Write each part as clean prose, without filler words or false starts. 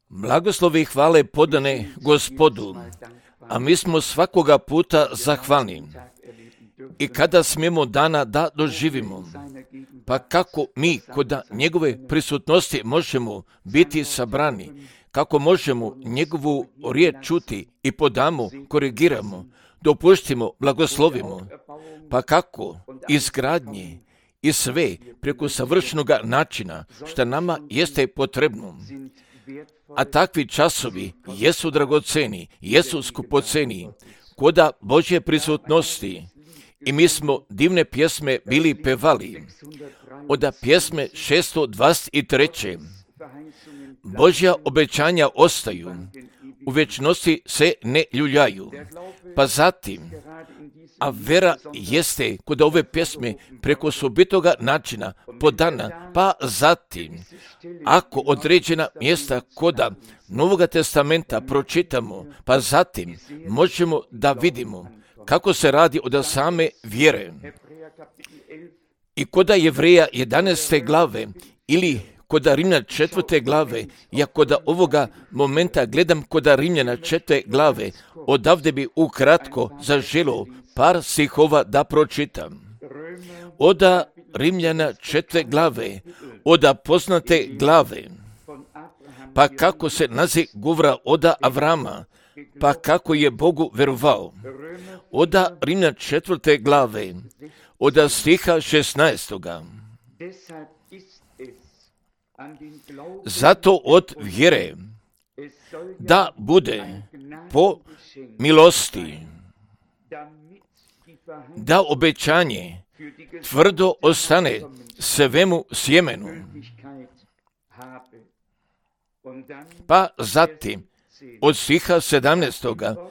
Blagoslovi i hvale podane Gospodu, a mi smo svakoga puta zahvalni. I kada smijemo dana da doživimo, pa kako mi kod njegove prisutnosti možemo biti sabrani, kako možemo njegovu riječ čuti i podamo, korigiramo, dopuštimo, blagoslovimo, pa kako izgradnje i sve preko savršenog načina što nama jeste potrebno. A takvi časovi jesu dragoceni, jesu skupoceni, koda Božje prisutnosti. I mi smo divne pjesme bili pevali. Od pjesme 623. Božja obećanja ostaju, u večnosti se ne ljuljaju. Pa zatim, a vera jeste kod ove pjesme preko sobitoga načina podana, pa zatim, ako određena mjesta koda Novoga testamenta pročitamo, pa zatim možemo da vidimo kako se radi od same vjere. I koda Jevreja 11. glave ili koda Rimljana 4. glave, ja koda ovoga momenta gledam koda Rimljana 4. glave, odavde bi ukratko zaželo par stihova da pročitam. Oda Rimljana 4. glave, oda poznate glave, pa kako se nazi govora oda Avrama, pa kako je Bogu verovao. Oda Rimljana 4. glave, oda stiha 16. Zato od vjere da bude po milosti, da obećanje tvrdo ostane svemu sjemenu. Pa zatim od stiha 17.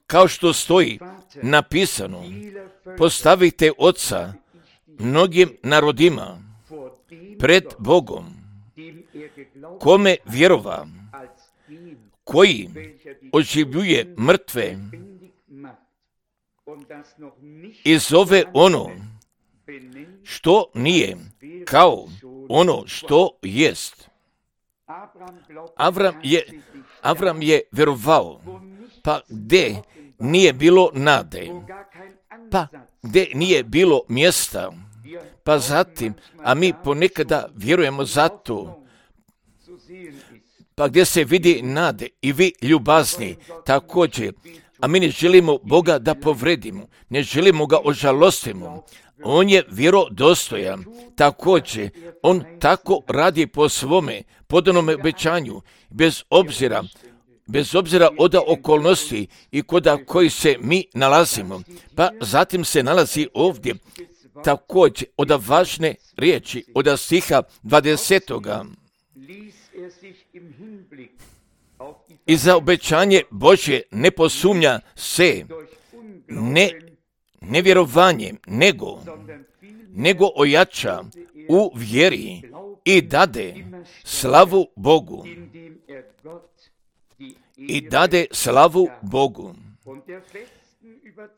kao što stoji napisano, postavite oca mnogim narodima pred Bogom, kome vjerova, koji oživljuje mrtve i zove ono što nije kao ono što jest. Avram je vjerovao, pa gdje nije bilo nade, pa gdje nije bilo mjesta, pa zatim, a mi ponekada vjerujemo za to, pa gdje se vidi nade i vi ljubazni također, a mi ne želimo Boga da povredimo, ne želimo ga ožalostimo. On je vjerodostojan, također, on tako radi po svome podanom obećanju, bez obzira od okolnosti i koda koji se mi nalazimo. Pa zatim se nalazi ovdje također od važne riječi, od stiha 20. I za obećanje Božje ne posumnja se, ne vjerovanjem, nego ojača u vjeri i dade slavu Bogu.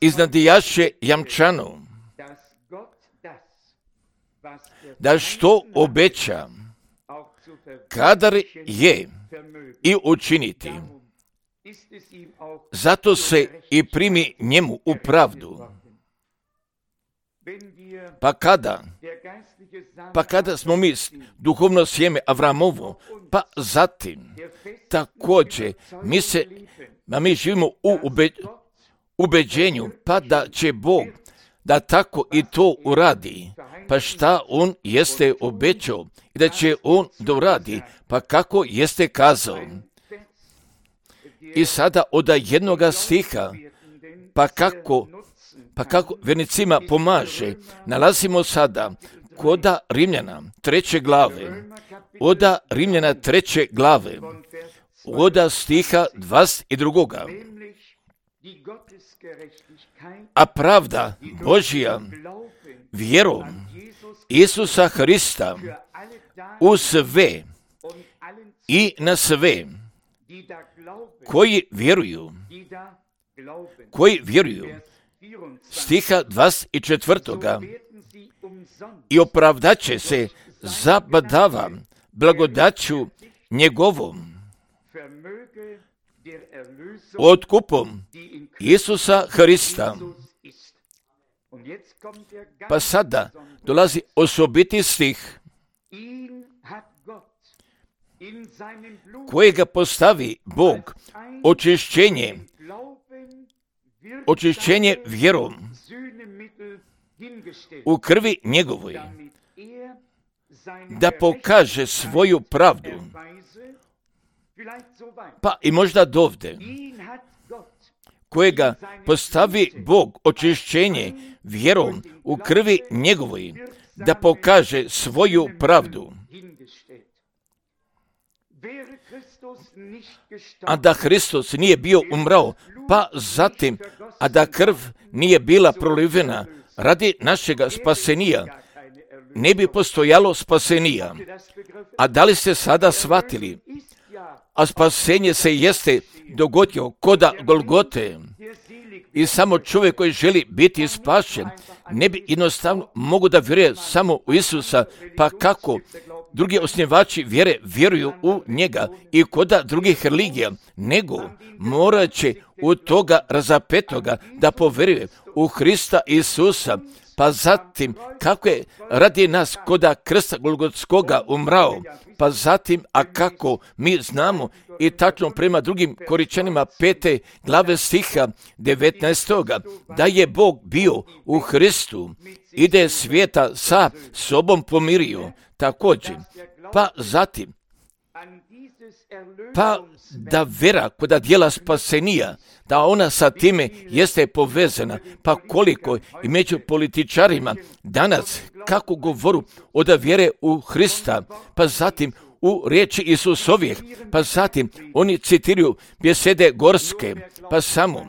Iznadijaše jamčano da što obeća, kadar je i učiniti. Zato se i primi njemu u pravdu. Pa kada smo mi duhovno sjeme Avramovo, pa zatim također mi živimo u ubeđenju, pa da će Bog da tako i to uradi, pa šta on jeste obećao i da će on doradi, pa kako jeste kazao. I sada od jednoga stiha, pa kako vjernicima pomaže, nalazimo sada koda Rimljana 3. glave, oda Rimljana 3. glave, oda stiha 22. A pravda Božja vjerom Isusa Hrista u sve i na sve koji vjeruju, stiha 24. I opravdaće se zabadava blagodaću njegovom, otkupom Isusa Hrista. Pa sada dolazi osobiti stih kojega postavi Bog, očišćenje vjerom u krvi njegovoj, da pokaže svoju pravdu. Pa i možda dovde, kojega postavi Bog, očišćenje vjerom u krvi njegovoj, da pokaže svoju pravdu. A da Hristos nije bio umrao, pa zatim, a da krv nije bila prolivena radi našega spasenija, ne bi postojalo spasenija. A da li ste sada shvatili? A spasenje se jeste dogodilo koda Golgote. I samo čovjek koji želi biti spašen ne bi jednostavno mogu da vjeruje samo u Isusa, pa kako drugi osnivači vjere vjeruju u njega i koda drugih religija, nego morat će u toga razapetoga da povjeruje u Hrista Isusa, pa zatim kako je radi nas koda krsta Golgotskoga umrao, pa zatim, a kako mi znamo i tačno prema drugim Koričanima 5. glave stiha 19. da je Bog bio u Hristu i da je svijeta sa sobom pomirio također. Pa zatim, pa da vera koda djela spasenija, da ona sa time jeste povezana, pa koliko i među političarima danas kako govoru od vjere u Hrista, pa zatim u riječi Isusovih, pa zatim oni citiraju besede gorske, pa samo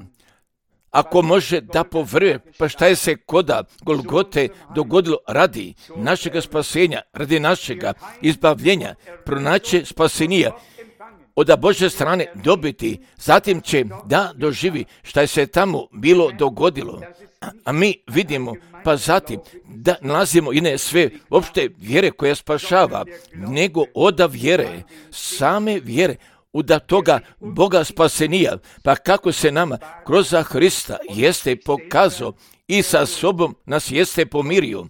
ako može da povruje, pa šta je se koda Golgote dogodilo radi našega spasenja, radi našega izbavljenja, pronaći spasenija, od Božje strane dobiti, zatim će da doživi šta je se tamo bilo dogodilo. A mi vidimo, pa zatim da nalazimo i ne sve opšte vjere koja spašava, nego od vjere, same vjere, da toga Boga spasenija, pa kako se nama kroz Hrista jeste pokazao i sa sobom nas jeste pomirio.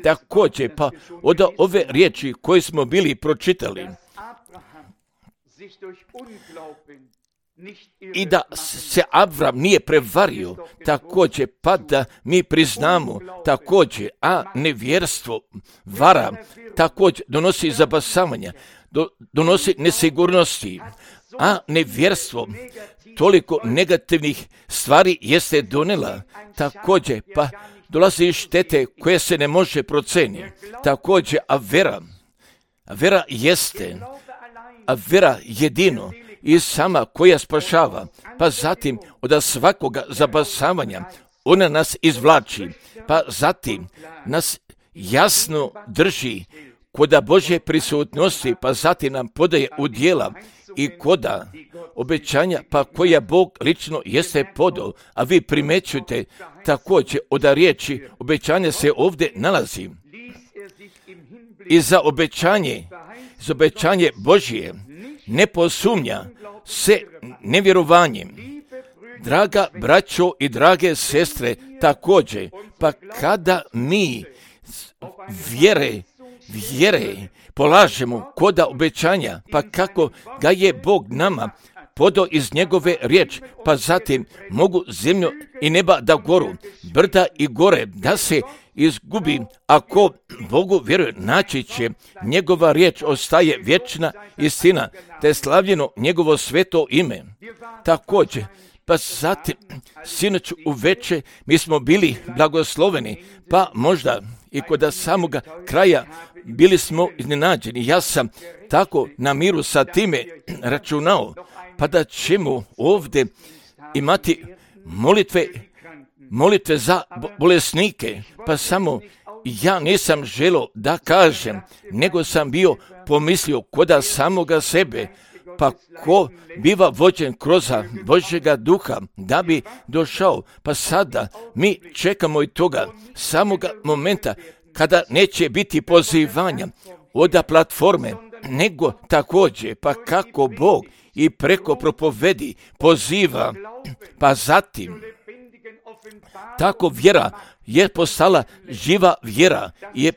Također, pa od ove riječi koje smo bili pročitali, i da se Avram nije prevario, također, pa da mi priznamo, također, a nevjerstvo vara, također donosi zabasavanja, donosi nesigurnosti, a nevjerstvo toliko negativnih stvari jeste donela, također, pa dolazi štete koje se ne može proceniti, također, a vera jeste, a vera jedino i sama koja spašava, pa zatim od svakoga zabasavanja ona nas izvlači, pa zatim nas jasno drži koda Božje prisutnosti, pa zatim nam podaje u djela i koda obećanja, pa koja Bog lično jeste podao, a vi primećujete također od riječi obećanja se ovdje nalazi. I za obećanje Božje ne posumnja se nevjerovanjem. Draga braćo i drage sestre, također, pa kada mi vjere polažemo koda obećanja, pa kako ga je Bog nama podao iz njegove riječi, pa zatim mogu zemlju i neba da goru, brda i gore da se izgubi, ako Bogu vjeruje, naći će njegova riječ ostaje vječna istina, te je slavljeno njegovo sveto ime. Također, pa zatim, sinoć uveče mi smo bili blagosloveni, pa možda i kod samoga kraja bili smo iznenađeni. Ja sam tako na miru sa time računao, pa da ćemo ovdje imati molitve za bolesnike, pa samo ja nisam želio da kažem, nego sam bio pomislio koda samoga sebe, pa ko biva vođen kroz Božjega duha da bi došao, pa sada mi čekamo i toga samoga momenta kada neće biti pozivanja od platforme, nego također, pa kako Bog i preko propovedi poziva, pa zatim tako vjera je postala živa vjera,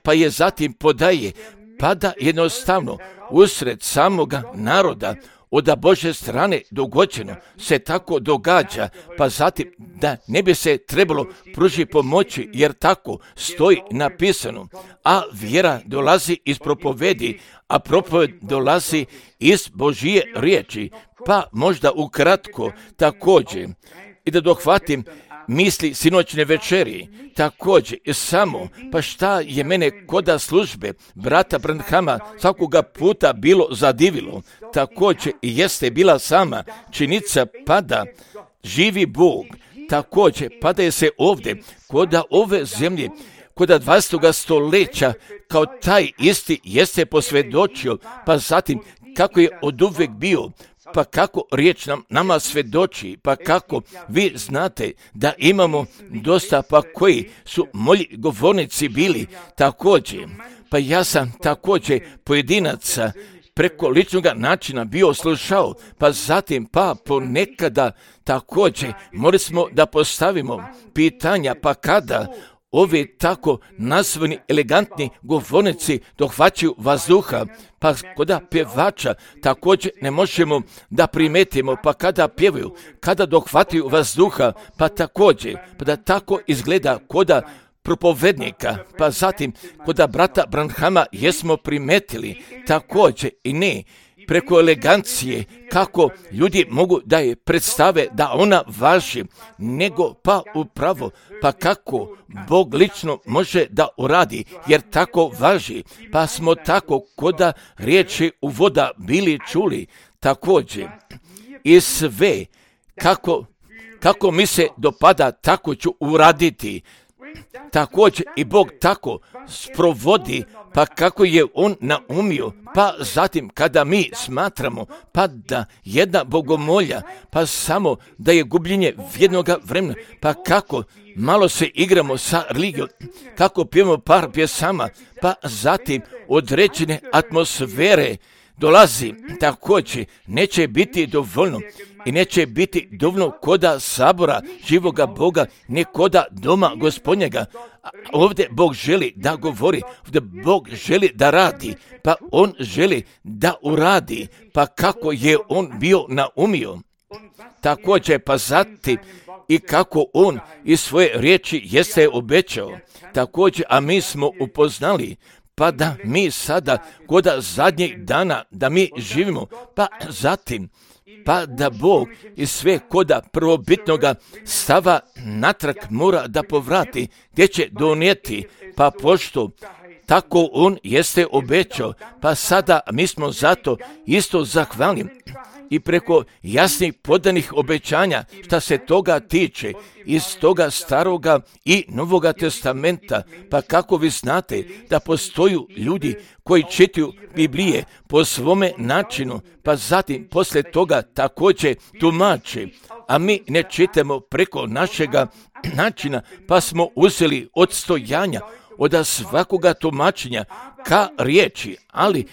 pa je zatim podaje, pa da jednostavno usred samoga naroda od Božje strane dogođeno se tako događa, pa zatim da ne bi se trebalo pružiti pomoći, jer tako stoji napisano, a vjera dolazi iz propovedi, a propoved dolazi iz Božje riječi. Pa možda ukratko također, i da dohvatim misli sinoćne večeri, također samo, pa šta je mene koda službe brata Branhama svakoga puta bilo zadivilo, također i jeste bila sama činjenica pada živi Bog, također pada se ovdje, koda ove zemlje, koda 20. stoljeća, kao taj isti jeste posvjedočio, pa zatim kako je oduvijek bio, pa kako riječ nama svjedoči, pa kako vi znate da imamo dosta, pa koji su moji govornici bili također, pa ja sam također pojedinaca preko ličnog načina bio slušao, pa zatim pa ponekada također morali smo da postavimo pitanja, pa kada ovi tako nazvani elegantni govornici dohvaćaju vazduha, pa koda pjevača također ne možemo da primetimo, pa kada pjevaju, kada dohvataju vazduha, pa također, pa da tako izgleda koda propovednika, pa zatim koda brata Branhama jesmo primetili također i ne preko elegancije, kako ljudi mogu da je predstave da ona važi, nego pa upravo, pa kako Bog lično može da uradi, jer tako važi, pa smo tako koda riječi u voda bili čuli, također i sve, kako mi se dopada, tako ću uraditi, također i Bog tako sprovodi, pa kako je on naumio, pa zatim kada mi smatramo, pa da jedna bogomolja, pa samo da je gubljenje jednoga vremena, pa kako malo se igramo sa religijom, kako pijemo par pjesama, pa zatim određene atmosfere dolazi, također neće biti dovoljno i neće biti dovoljno koda sabora živoga Boga, ne koda doma Gospodnjega. Ovdje Bog želi da govori, ovdje Bog želi da radi, pa on želi da uradi, pa kako je on bio naumio. Također pa zatim i kako on iz svoje riječi jeste obećao, također, a mi smo upoznali, pa da mi sada koda zadnjih dana da mi živimo, pa zatim pa da Bog i sve koda prvobitnoga stava natrag mora da povrati, gdje će donijeti, pa pošto tako on jeste obećao, pa sada mi smo zato isto zahvalni i preko jasnih podanih obećanja šta se toga tiče iz toga staroga i novoga testamenta, pa kako vi znate da postoju ljudi koji čitaju Biblije po svome načinu, pa zatim poslije toga također tumače, a mi ne čitamo preko našega načina, pa smo uzeli odstojanja od svakoga tumačenja ka riječi, ali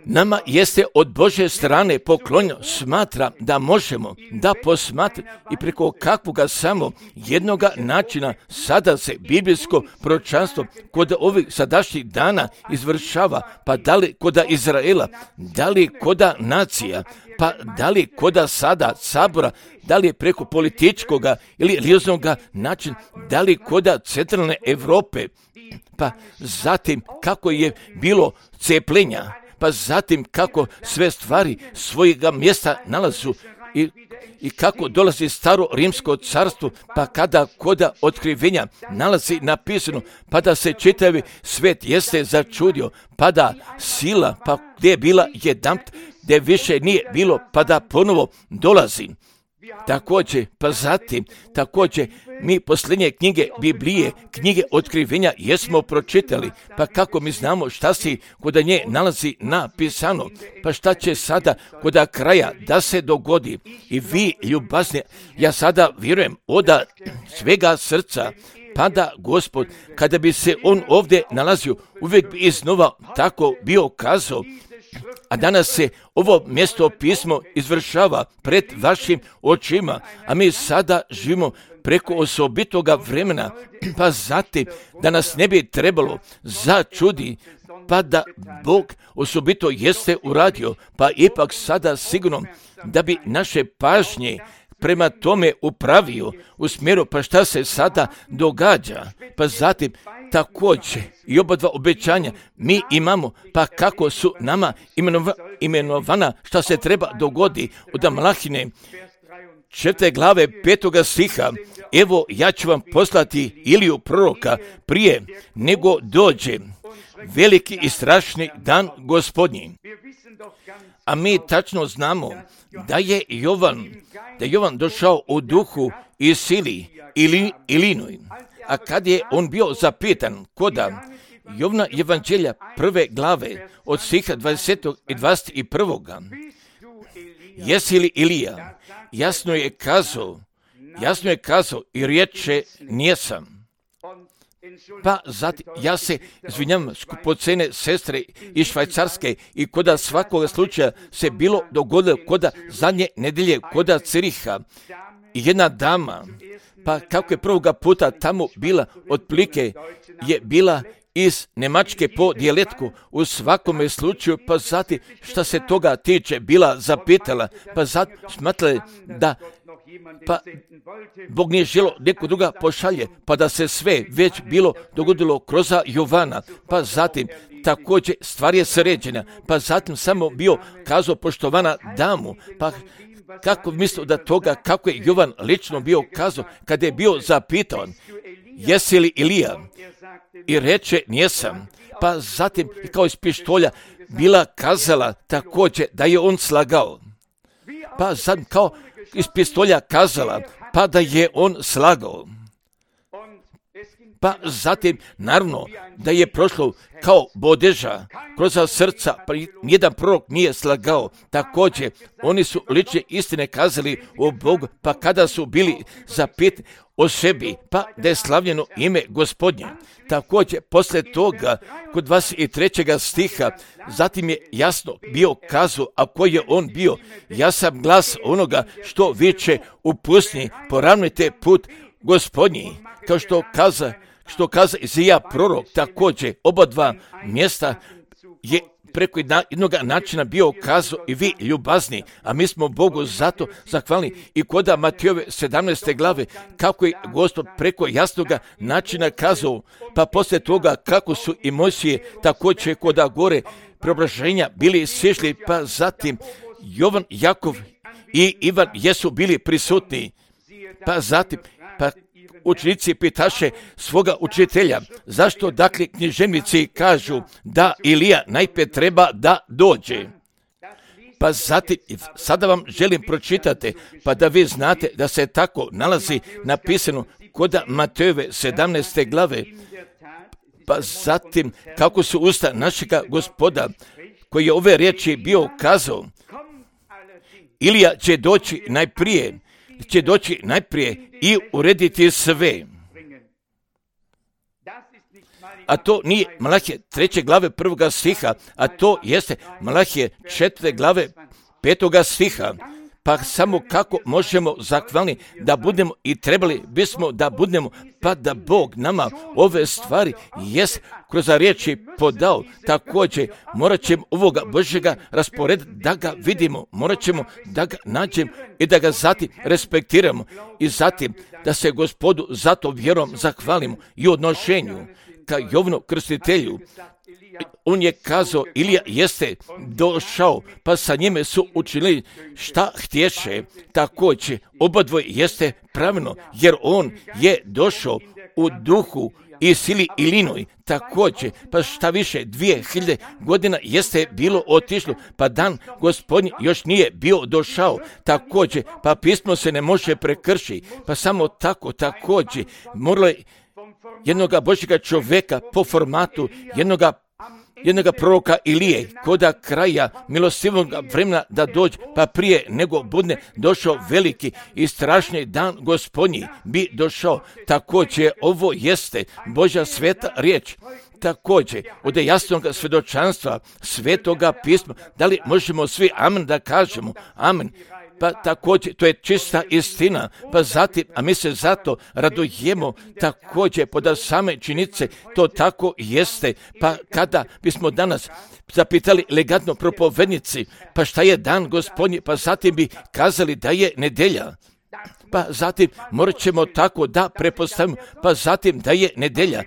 nama jeste od Božje strane poklonjeno, smatra da možemo da posmatrati i preko kakvoga samo jednoga načina sada se biblijsko proročanstvo kod ovih sadašnjih dana izvršava, pa da li koda Izraela, da li koda nacija, pa da li koda sada sabora, da li je preko političkoga ili religijskoga načina, da li koda centralne Europe, pa zatim kako je bilo cepljenja, pa zatim kako sve stvari svojega mjesta nalazu i kako dolazi staro rimsko carstvo, pa kada koda otkrivenja nalazi napisano, pa da se čitavi svet jeste začudio, pa da sila, pa gdje je bila jedanput, gdje više nije bilo, pa da ponovo dolazi. Također, pa zatim, također, mi posljednje knjige Biblije, knjige otkrivenja jesmo pročitali, pa kako mi znamo šta se kod nje nalazi napisano, pa šta će sada kod kraja da se dogodi. I vi, ljubazni, ja sada vjerujem od svega srca, pa da Gospod, kada bi se on ovdje nalazio, uvijek bi iznova tako bio kazao, a danas se ovo mjesto pismo izvršava pred vašim očima, a mi sada živimo preko osobitoga vremena, pa zatim da nas ne bi trebalo začudi, pa da Bog osobito jeste uradio, pa ipak sada sigurno da bi naše pažnje prema tome upravio u smjeru pa šta se sada događa, pa zatim također i oba dva obećanja mi imamo, pa kako su nama imenovana šta se treba dogodi od Malahine 4. glave 5. stiha. Evo ja ću vam poslati Iliju proroka prije nego dođe veliki i strašni dan Gospodnji. A mi tačno znamo da je Jovan došao u duhu i sili Ilinoj. A kad je on bio zapitan koda Jovna evanđelja 1. glave od stiha 20. i 21. Jesi li Ilija? Jasno je kazao i reče nijesam. Pa zatim, ja se izvinjam skupocene sestre iz Švajcarske i koda svakoga slučaja se bilo dogodilo koda zadnje nedelje koda Ciriha i jedna dama, pa kako je prvoga puta tamo bila, otprilike je bila iz Njemačke po dijalektu u svakome slučaju, pa zatim šta se toga tiče bila zapitala, pa zatim smatrala da pa Bog nije želo neko druga pošalje, pa da se sve već bilo dogodilo kroz Jovana, pa zatim također stvar je sređena, pa zatim samo bio kazao poštovana damu, pa kako mislio da toga, kako je Jovan lično bio kazao, kada je bio zapitan, jesi li Ilija? I reče, nijesam. Pa zatim, kao iz pištolja, bila kazala također da je on slagao. Pa zatim, kao iz pištolja kazala, pa da je on slagao. Pa zatim, naravno, da je prošlo kao bodeža kroz srca, pa nijedan prorok nije slagao. Također, oni su lične istine kazali o Bogu, pa kada su bili zapitani o sebi, pa da je slavljeno ime Gospodnje. Također, poslije toga, kod 23. stiha, zatim je jasno bio kazao, a koji je on bio, ja sam glas onoga što viče u pustinji, poravnajte put Gospodnji, kao što kaza Izija prorok. Također, oba dva mjesta je preko jednog načina bio kazao i vi ljubazni, a mi smo Bogu zato zahvalni. I koda Matejove 17. glave, kako je Gospod preko jasnoga načina kazao, pa poslije toga kako su i Mojsije također koda gore preobraženja bili sišli, pa zatim Jovan, Jakov i Ivan jesu bili prisutni, pa zatim učenici pitaše svoga učitelja, zašto dakle književnici kažu da Ilija najprije treba da dođe. Pa zatim, sada vam želim pročitati, pa da vi znate da se tako nalazi napisano kod Matejove 17. glave, pa zatim kako su usta našega Gospoda, koji je ove riječi bio kazao, Ilija će doći najprije i urediti sve. A to nije Malahije 3. glave 1. stiha, a to jeste Malahije 4. glave 5. stiha. Pa samo kako možemo zahvalni da budemo i trebali bismo da budemo, pa da Bog nama ove stvari jest kroz riječi podao. Također morat ćemo ovoga Božjega raspored da ga vidimo, morat ćemo da ga nađemo i da ga zatim respektiramo i zatim da se Gospodu zato vjerom zahvalimo i odnošenju ka Jovnu krstitelju. On je kazao, Ilija jeste došao, pa sa njime su učinili šta htješe. Također, obadvoje jeste pravilno, jer on je došao u duhu i sili Ilinoj. Također, pa šta više, 2000 godina jeste bilo otišlo, pa dan Gospodnji još nije bio došao. Također, pa pismo se ne može prekršiti, pa samo tako, također, moralo je jednoga Božjega čovjeka po formatu jednoga jednoga proroka Ilije, koda kraja milostivog vremena da dođe, pa prije nego bude došao veliki i strašni dan Gospodnji bi došao. Također ovo jeste Božja sveta riječ. Također, od jasnog svjedočanstva Svetoga pisma, da li možemo svi amen da kažemo? Amen. Pa također, to je čista istina, pa zatim, a mi se zato radujemo također pod same činjenice, to tako jeste, pa kada bismo danas zapitali legatno propovednici, pa šta je dan Gospodnji, pa zatim bi kazali da je nedjelja. Pa zatim morat ćemo tako da prepostavimo, pa zatim da je nedjelja,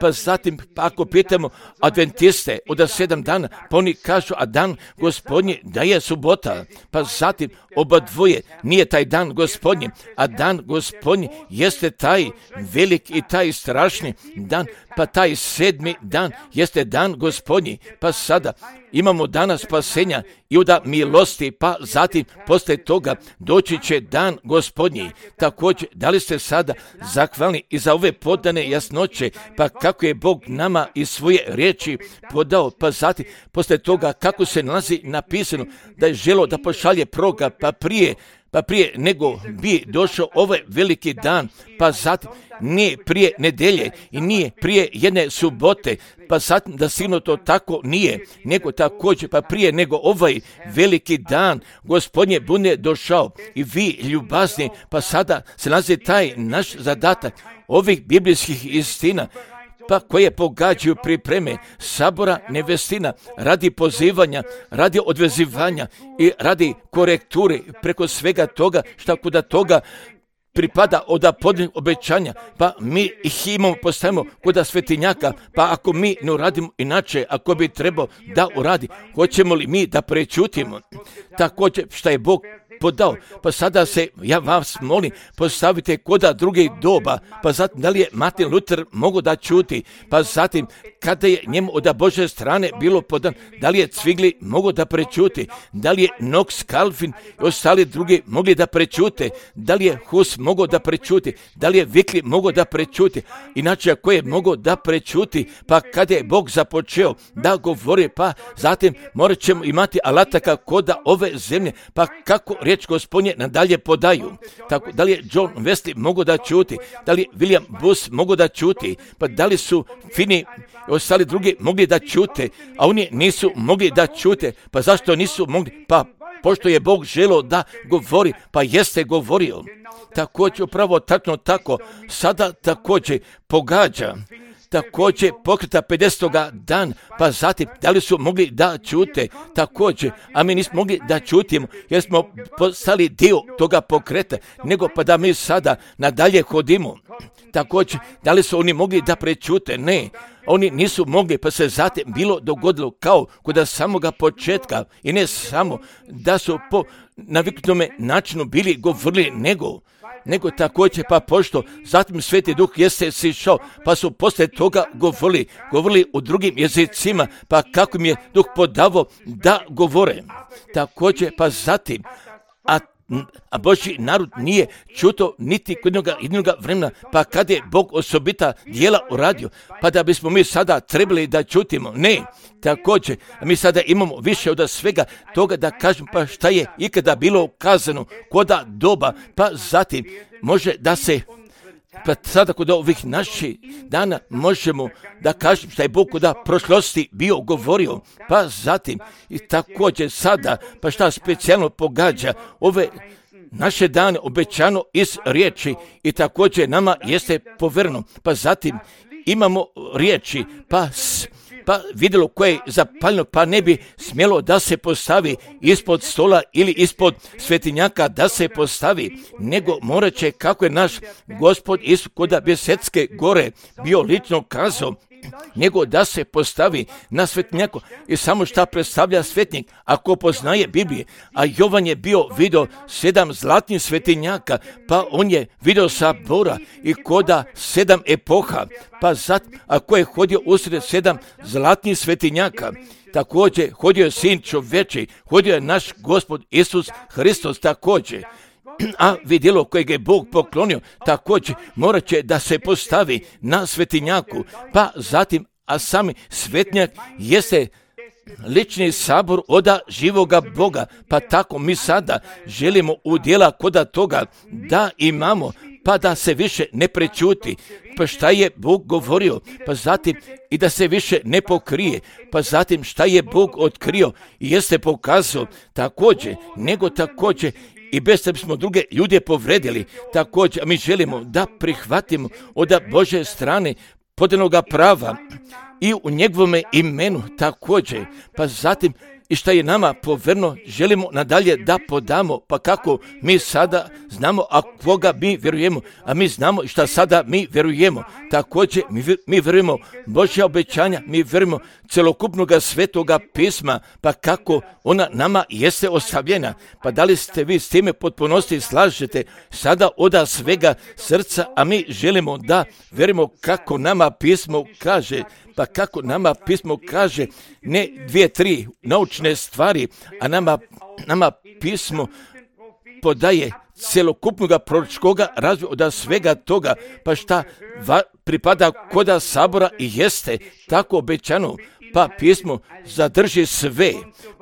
pa zatim ako pitamo adventiste od 7 dana, pa oni kažu, a dan Gospodnji da je subota, pa zatim oba dvoje nije taj dan Gospodnji, a dan Gospodnji jeste taj velik i taj strašni dan, pa taj 7. dan jeste dan Gospodnji, pa sada imamo dana spasenja i od milosti, pa zatim poslije toga doći će dan Gospodnji. Također, da li ste sada zahvalni i za ove podane jasnoće, pa kako je Bog nama iz svoje riječi podao, pa zatim poslije toga kako se nalazi napisano da je želo da pošalje proroka, pa prije nego bi došao ovaj veliki dan, pa zatim nije prije nedjelje i nije prije jedne subote, pa zatim da sigurno to tako nije, nego također pa prije nego ovaj veliki dan Gospodnje bude došao i vi ljubazni, pa sada se nalazi taj naš zadatak ovih biblijskih istina, pa koje pogađaju pripreme sabora nevestina radi pozivanja, radi odvezivanja i radi korekture preko svega toga šta kuda toga pripada od podnih obećanja, pa mi ih imamo, postavimo kuda svetinjaka, pa ako mi ne uradimo inače, ako bi trebao da uradi, hoćemo li mi da prečutimo? Također šta je Bog podao, pa sada se, ja vas molim, postavite koda drugih doba, pa zatim da li je Martin Luther mogo da čuti, pa zatim kada je njemu od Bože strane bilo podan, da li je Cvigli mogo da prečuti, da li je Knox, Calvin i ostali drugi mogli da prečute, da li je Hus mogo da prečuti, da li je Vikli mogo da prečuti, inače ako je mogo da prečuti, pa kada je Bog započeo da govori, pa zatim morat ćemo imati alataka koda ove zemlje, pa kako riječ Gospodnje nadalje podaju. Tako, da li je John Wesley mogo da čuti, da li je William Booth mogo da čuti, pa da li su Finney i ostali drugi mogli da čute, a oni nisu mogli da čute, pa zašto nisu mogli? Pa pošto je Bog želeo da govori, pa jeste govorio. Također upravo tačno tako, sada također pogađa, također pokreta 50. dan, pa zatim da li su mogli da čute također, a mi nismo mogli da čutimo jer smo postali dio toga pokreta, nego pa da mi sada nadalje hodimo. Također, da li su oni mogli da prečute? Ne, oni nisu mogli, pa se zatim bilo dogodilo kao kod samoga početka i ne samo da su po naviknutome načinu bili govorili, nego također pa pošto zatim Sveti Duh jeste sišao, pa su poslije toga govorili u drugim jezicima, pa kako im je Duh podavao da govore. Također pa zatim, a Božji narod nije čuto niti kod jednog vremena, pa kad je Bog osobita djela uradio, pa da bismo mi sada trebali da čutimo. Ne, također, mi sada imamo više od svega toga da kažem, pa šta je ikada bilo kazano koda doba, pa zatim može da se, pa sada kod ovih naših dana možemo da kažem šta je Bog kod prošlosti bio govorio, pa zatim i također sada, pa šta specijalno pogađa ove naše dane obećano iz riječi i također nama jeste povereno, pa zatim imamo riječi, pa vidjelo koje je zapaljeno, pa ne bi smjelo da se postavi ispod stola ili ispod svetinjaka da se postavi, nego morat će, kako je naš Gospod Isus kod Bjesetske gore bio lično kazao, nego da se postavi na svetinjaku. I samo šta predstavlja svetnik, ako poznaje Biblije, a Jovan je bio vidio 7 zlatnih svetinjaka, pa on je vidio sabora i koda 7 epoha, pa zatim ako je hodio usred 7 zlatnih svetinjaka, također hodio je Sin čoveči, hodio je naš Gospod Isus Hristos također. A vidjelo kojeg je Bog poklonio također morat će da se postavi na svetinjaku, pa zatim a sami svetnjak jeste lični sabor oda živoga Boga, pa tako mi sada želimo udjela koda toga da imamo, pa da se više ne prečuti, pa šta je Bog govorio, pa zatim i da se više ne pokrije, pa zatim šta je Bog otkrio i jeste pokazao također, nego također i bez da bismo druge ljude povredili, također mi želimo da prihvatimo od Božje strane podanoga prava i u njegovome imenu također, pa zatim i šta je nama poverno želimo nadalje da podamo, pa kako mi sada znamo, a koga mi vjerujemo, a mi znamo šta sada mi vjerujemo, također mi vjerujemo Božja obećanja, mi vjerujemo celokupnog svetoga pisma, pa kako ona nama jeste ostavljena, pa da li ste vi s time potpunosti slažete sada oda svega srca, a mi želimo da vjerujemo kako nama pismo kaže, pa kako nama pismo kaže, ne 2-3 naučne stvari, a nama pismo podaje celokupnog proročkog razvoja od svega toga, pa šta pripada koda sabora i jeste tako obećano, pa pismo zadrži sve,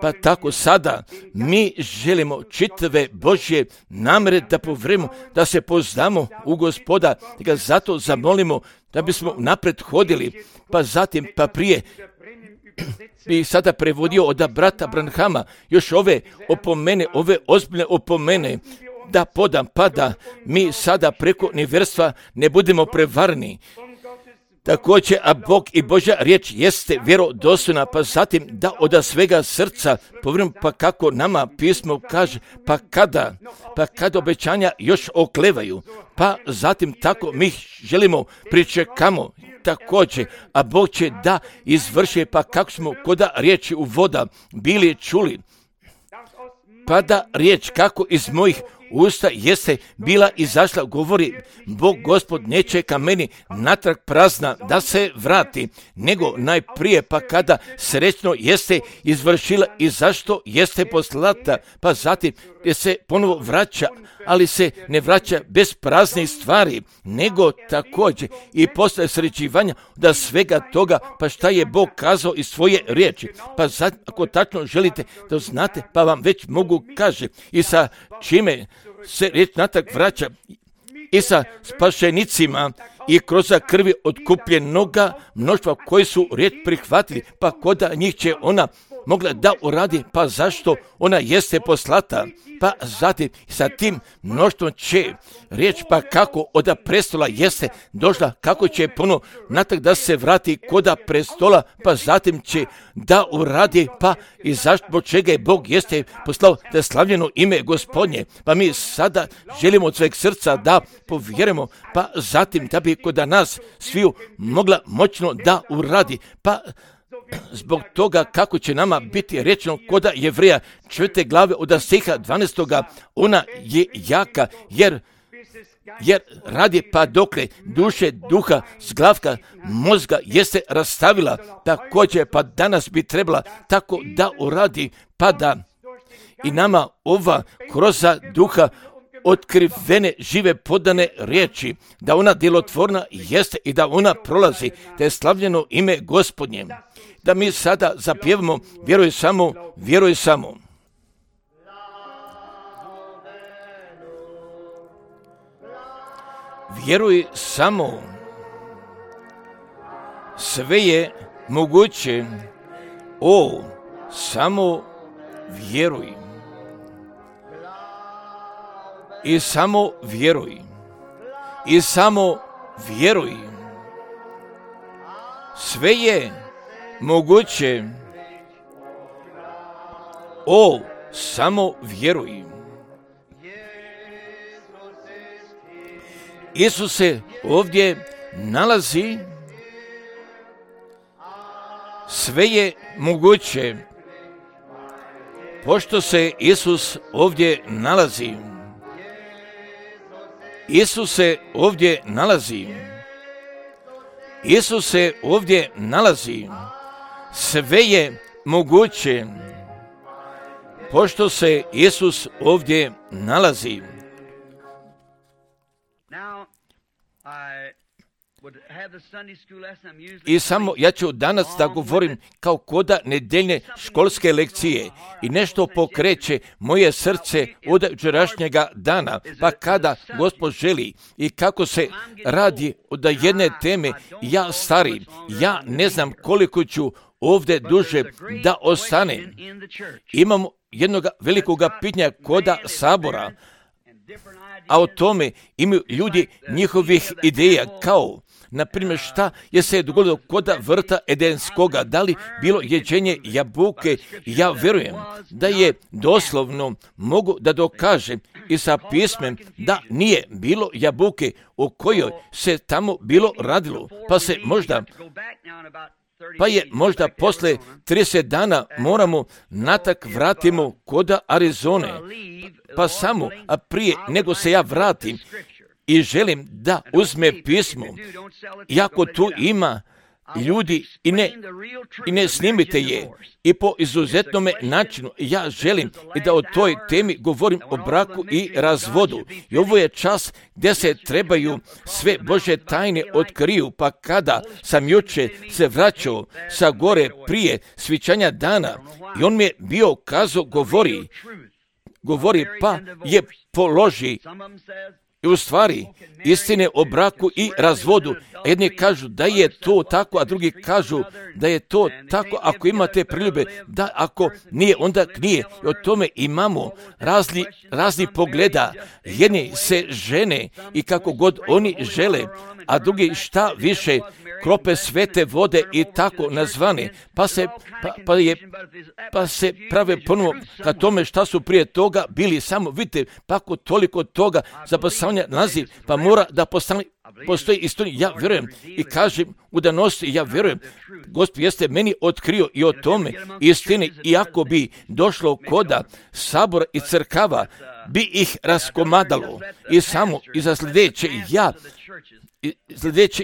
pa tako sada mi želimo čitave Božje namere da povjerimo, da se poznamo u Gospoda, da ga zato zamolimo da bismo napred hodili, pa zatim, pa prije bi sada prevodio od brata Branhama još ove opomene, ove ozbiljne opomene da podam, pa da mi sada preko nevjerstva ne budemo prevarni. Također, a Bog i Božja riječ jeste vjerodostojna, pa zatim da od svega srca povjerujemo, pa kako nama pismo kaže, pa kada obećanja još oklevaju, pa zatim tako mi želimo, pričekamo također, a Bog će da izvrši, pa kako smo koda riječi u voda bili čuli, pa da riječ kako iz mojih usta jeste bila izašla, govori Bog Gospod, neće ka meni natrag prazna da se vrati, nego najprije pa kada srećno jeste izvršila i zašto jeste poslata, pa zatim gdje se ponovo vraća, ali se ne vraća bez praznih stvari, nego također i posle srećivanja da svega toga, pa šta je Bog kazao iz svoje riječi, pa zatim, ako tačno želite da znate, pa vam već mogu kaže i sa čime se riječ natrag vraća, i sa spašenicima i kroz krvi otkupljenoga mnoštva koji su riječ prihvatili, pa koda njih će ona mogla da uradi, pa zašto ona jeste poslata, pa zatim sa tim mnoštvom će riječ, pa kako od prestola jeste došla, kako će ponovo natrag da se vrati koda prestola, pa zatim će da uradi, pa i zašto čega je Bog jeste poslao da slavljeno ime Gospodnje, pa mi sada želimo od sveg srca da povjerujemo, pa zatim da bi kod nas sviju mogla moćno da uradi, pa zbog toga kako će nama biti rečeno koda Jevreja 4. glave od stiha 12. ona je jaka, jer radi pa dokle duše, duha, zglavka, mozga jeste rastavila, također pa danas bi trebala tako da uradi, pa da i nama ova kroz duha otkrivene žive podane riječi, da ona djelotvorna jeste i da ona prolazi, da je slavljeno ime Gospodnje. Da mi sada zapjevamo vjeruj samo, vjeruj samo. Vjeruj samo. Sve je moguće. O, samo vjeruj. I samo vjeruj. I samo vjeruj. Sve je moguće. O, samo vjeruj. Isus se ovdje nalazi. Sve je moguće. Pošto se Isus ovdje nalazi. Isus se ovdje nalazi. Isus se ovdje nalazi. Sve je moguće. Pošto se Isus ovdje nalazi. I samo ja ću danas da govorim kao koda nedeljne školske lekcije i nešto pokreće moje srce od jučerašnjega dana, pa kada Gospod želi i kako se radi od jedne teme, ja stari, ja ne znam koliko ću ovdje duže da ostanem. Imamo jednog velikog pitanja koda sabora, a o tome imaju ljudi njihovih ideja, kao na primjer šta je se dogodilo koda vrta Edenskoga, da li bilo jeđenje jabuke. Ja vjerujem da je doslovno mogu da dokažem i sa pismem da nije bilo jabuke o kojoj se tamo bilo radilo, pa je možda posle 30 dana moramo natak vratimo koda Arizone, pa samo, a prije nego se ja vratim i želim da uzme pismo, iako tu ima ljudi i ne snimite je, i po izuzetnome načinu ja želim i da o toj temi govorim o braku i razvodu. I ovo je čas gdje se trebaju sve Božje tajne otkriju, pa kada sam juče se vraćao sa gore prije svićanja dana i on mi je bio kazao, govori pa je položi i u stvari istine o braku i razvodu. Jedni kažu da je to tako, a drugi kažu da je to tako ako imate priljube, da ako nije, onda nije. I o tome imamo razni pogleda. Jedni se žene i kako god oni žele, a drugi šta više krope svete vode i tako nazvane, pa se prave ponovo ka tome šta su prije toga bili. Samo vidite, pa ako toliko toga zapasavanja naziv, pa mora da postoji istina. Ja vjerujem i kažem u danosti, ja vjerujem, Gospod jeste meni otkrio i o tome istine, iako bi došlo koda sabora i crkava, bi ih raskomadalo i samo i za sljedeće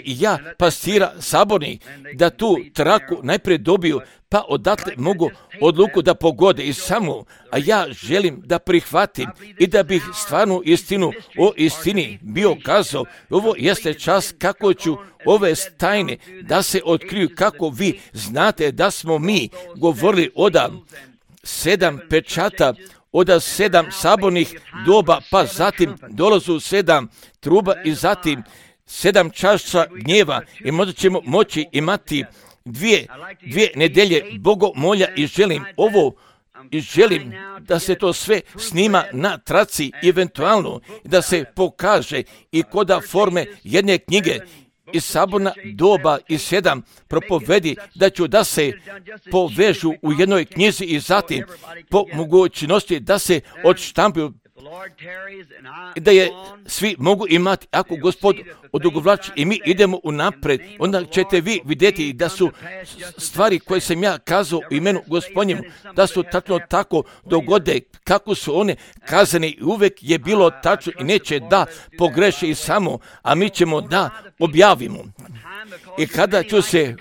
ja, pastira sabornih, da tu traku najprije dobiju, pa odatle mogu odluku da pogode i samo, a ja želim da prihvatim i da bih stvarnu istinu o istini bio kazao. Ovo jeste čas kako ću ove tajne da se otkriju, kako vi znate da smo mi govorili od 7 pečata, od 7 sabornih doba, pa zatim dolazu 7 truba i zatim 7 čaša gnjeva i možda ćemo moći imati dvije nedelje bogomolja i želim da se to sve snima na traci, eventualno da se pokaže i koda forme jedne knjige i saborna doba i 7 propovedi, da ću da se povežu u jednoj knjizi i zatim po mogućnosti da se odštampaju, da je svi mogu imati. Ako Gospod odugovlači i mi idemo unapred, onda ćete vi vidjeti da su stvari koje sam ja kazao u imenu Gospodnjemu, da su tačno tako dogode kako su one kazane i uvek je bilo tačno i neće da pogreše i samo, a mi ćemo da objavimo. I kada ću se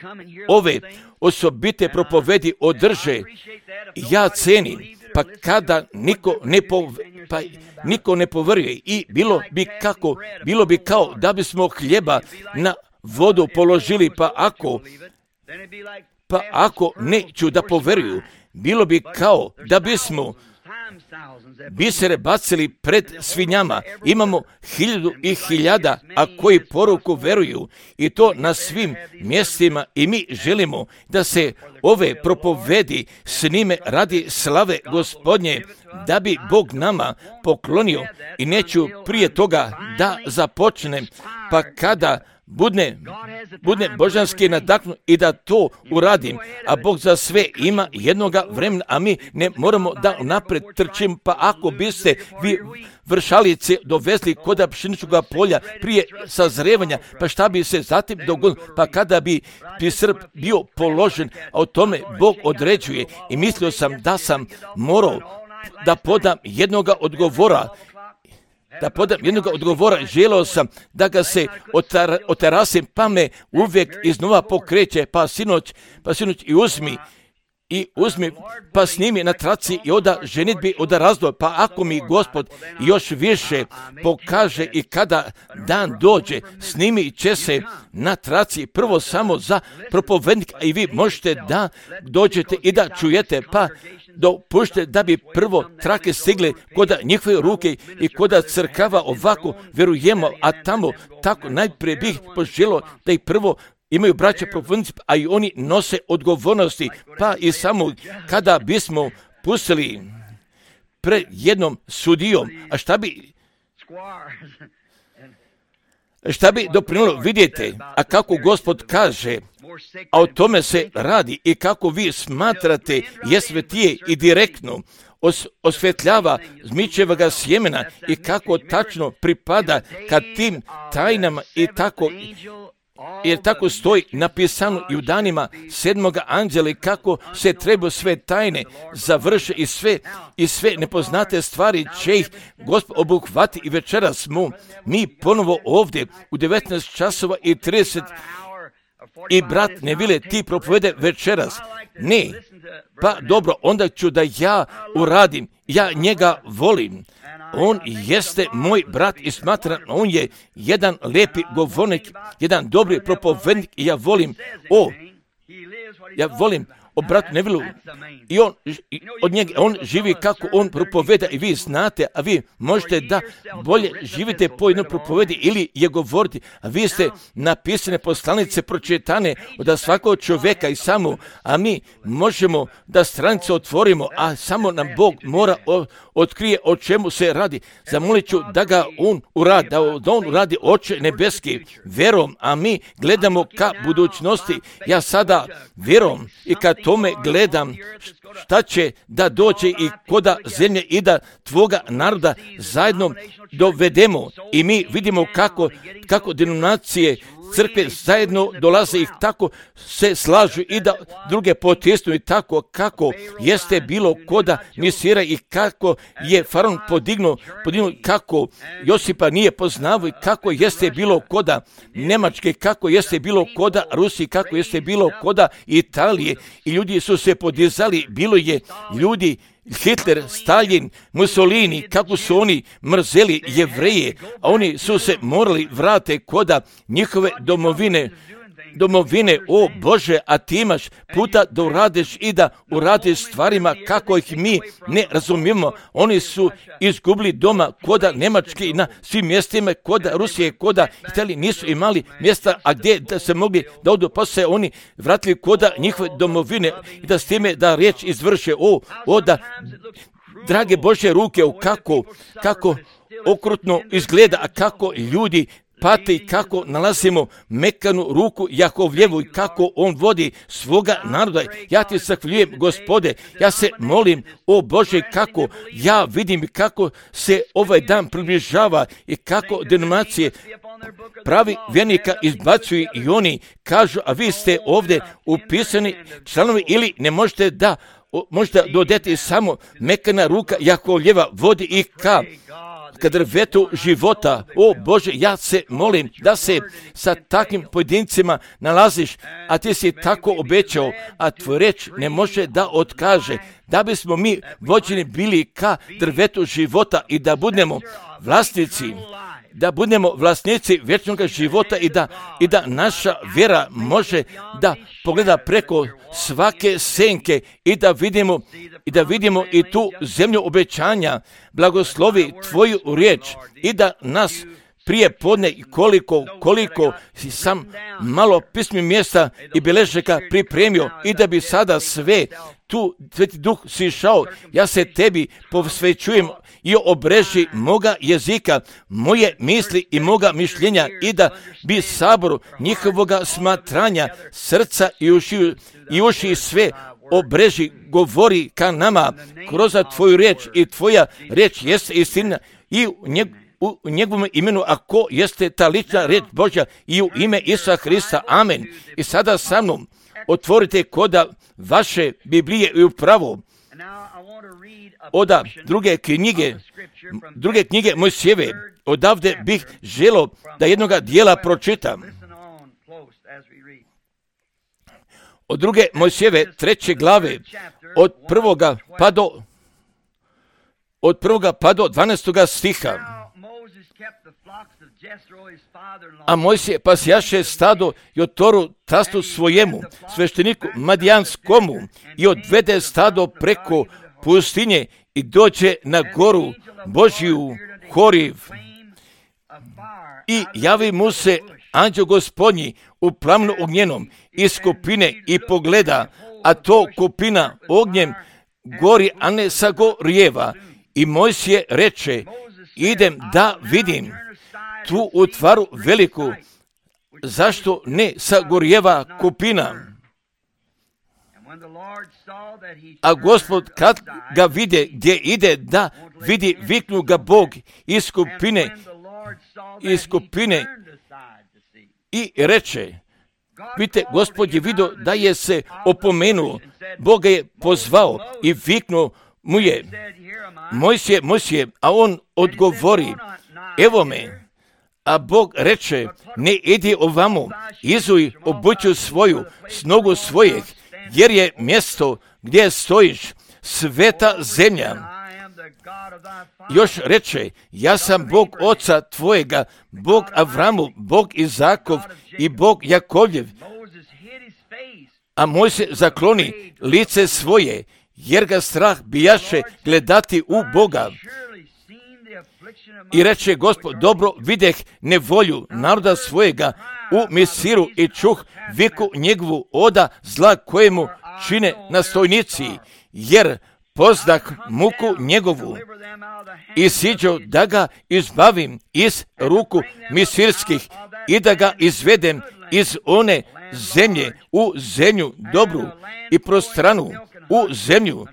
ove osobite propovedi održe, ja cenim, pa kada niko ne poveruje i bilo bi kao da bismo hljeba na vodu položili, pa ako neću da poveruju, bilo bi kao da bismo bisere bacili pred svinjama. Imamo 1000 i 1000, a koji poruku veruju, i to na svim mjestima, i mi želimo da se ove propovedi snime radi slave Gospodnje, da bi Bog nama poklonio. I neću prije toga da započnem, pa kada budne božanski nadaknut i da to uradim, a Bog za sve ima jednoga vremena, a mi ne moramo da napred trčimo. Pa ako biste vi vršalice dovezli kod pšeničnog polja prije sazrevanja, pa šta bi se zatim dogodilo? Pa kada bi srp bio položen, a o tome Bog određuje. I mislio sam da sam morao da podam jednoga odgovora, želeo sam da ga se oterasim, pa me uvijek iznova pokreće, pa sinoć i uzmi i uzmi, pa snimi na traci i oda ženitbi, oda razdoj, pa ako mi Gospod još više pokaže i kada dan dođe, snimi će se na traci prvo samo za propovednika i vi možete da dođete i da čujete, pa dopušte da bi prvo trake stigle kod njihove ruke i kod crkava ovako vjerujemo, a tamo tako najprije bih poželio da ih prvo imaju braća propovednici, a i oni nose odgovornosti, pa i samo kada bismo pustili pred jednom sudijom, a šta bi doprinijelo, vidjeti, a kako Gospod kaže, a o tome se radi i kako vi smatrate je svetije i direktno osvetljava zmičevoga sjemena i kako tačno pripada kad tim tajnama i tako, jer tako stoji napisano i u danima 7. anđela kako se treba sve tajne završe i sve nepoznate stvari će ih Gospod obuhvati i večeras smo mi ponovo ovdje u 19:30 i brat Nevile ti propovede večeras. Ne, pa dobro, onda ću da ja uradim, ja njega volim. On jeste moj brat i smatram, on je jedan lijepi govornik, jedan dobri propovednik i ja volim o bratu Nevilu i od njega on živi kako on propoveda i vi znate, a vi možete da bolje živite po jednoj propovedi ili je govoriti, a vi ste napisane poslanice pročitane od svakog čovjeka i samo, a mi možemo da stranice otvorimo, a samo nam Bog mora otkrije o čemu se radi. Zamolit ću da ga on uradi, da on uradi Oče nebeski vjerom, a mi gledamo ka budućnosti. Ja sada vjerom i kad tome gledam šta će da dođe i koda zemlje i da tvoga naroda zajedno dovedemo i mi vidimo kako denominacije crkve zajedno dolaze i tako se slažu i da druge potisnu i tako kako jeste bilo koda misira i kako je faraon podignuo kako Josipa nije poznavao i kako jeste bilo koda Njemačke, kako jeste bilo koda Rusije, kako jeste bilo koda Italije i ljudi su se podizali, bilo je ljudi Hitler, Stalin, Mussolini, kako su oni mrzeli Jevreje, a oni su se morali vrate koda njihove domovine, o Bože, a ti imaš puta da uradiš i da uradiš stvarima kako ih mi ne razumijemo. Oni su izgubili doma koda Njemačke i na svim mjestima, koda Rusije, koda Italije, nisu imali mjesta, a gdje da se mogli da odu, pa se oni vratili koda njihove domovine i da s time da riječ izvrše, da drage Božje ruke, kako okrutno izgleda, a kako ljudi pate i kako nalazimo mekanu ruku Jakovljevu i kako on vodi svoga naroda. Ja ti zahvaljujem, Gospode, ja se molim, o Bože, kako ja vidim kako se ovaj dan približava i kako denominacije pravi vjernika izbacuju i oni kažu, a vi ste ovdje upisani članovi ili ne možete da možda dodati samo mekana ruka Jakovljeva vodi i ka drvetu života. O Bože, ja se molim da se sa takvim pojedincima nalaziš, a ti si tako obećao, a tvoj reč ne može da otkaže, da bismo mi vođeni bili ka drvetu života i da budemo vlasnici vječnog života i da naša vjera može da pogleda preko svake senke i da vidimo i tu zemlju obećanja. Blagoslovi tvoju riječ i da nas prije podne koliko si sam malo pismi mjesta i biležaka pripremio i da bi sada sve tu Sveti Duh sišao, ja se tebi posvećujem i obreži moga jezika, moje misli i moga mišljenja i da bi saboru njihovoga smatranja, srca i uši sve obreži, govori ka nama kroz tvoju riječ i tvoja riječ jeste istina i u njegovom imenu, ako jeste ta lična riječ Božja i u ime Isusa Hrista, amen. I sada sa mnom otvorite koda vaše Biblije i upravo od druge knjige Mojsijeve. Odavde bih želio da jednoga dijela pročitam. od druge Mojsijeve 3. glave, od prvoga pa do 12. stiha. A Mojsije pasjaše stado Jotoru tastu svojemu, svešteniku Madijanskomu, i odvede stado preko pustinje i dođe na goru Božiju Horiv. I javi mu se anđeo Gospodnji u plamnu ognjenom iz kupine i pogleda, a to kupina ognjem gori, a ne sagorijeva. I Mojsije reče, idem da vidim tu utvaru veliku, zašto ne sagorijeva kupina? A Gospod kad ga vide gdje ide da vidi, viknu ga Bog iz kupine i reče, vidite, Gospod je vidio da je se opomenuo, Bog ga je pozvao i viknuo mu je, Mojsije, a on odgovori, evo me. A Bog reče, ne idi ovamo, izuj obuću svoju, s nogu svojih, jer je mjesto gdje stojiš sveta zemlja. Još reče, ja sam Bog oca tvojega, Bog Avramu, Bog Izakov i Bog Jakovljev. A Mojsije zakloni lice svoje, jer ga strah bijaše gledati u Boga. I reče Gospod, dobro videh nevolju naroda svojega u Misiru i čuh viku njegovu oda zla kojemu čine nastojnici, jer pozdah muku njegovu i siđo da ga izbavim iz ruku misirskih i da ga izvedem iz one zemlje u zemlju dobru i prostranu, u zemlju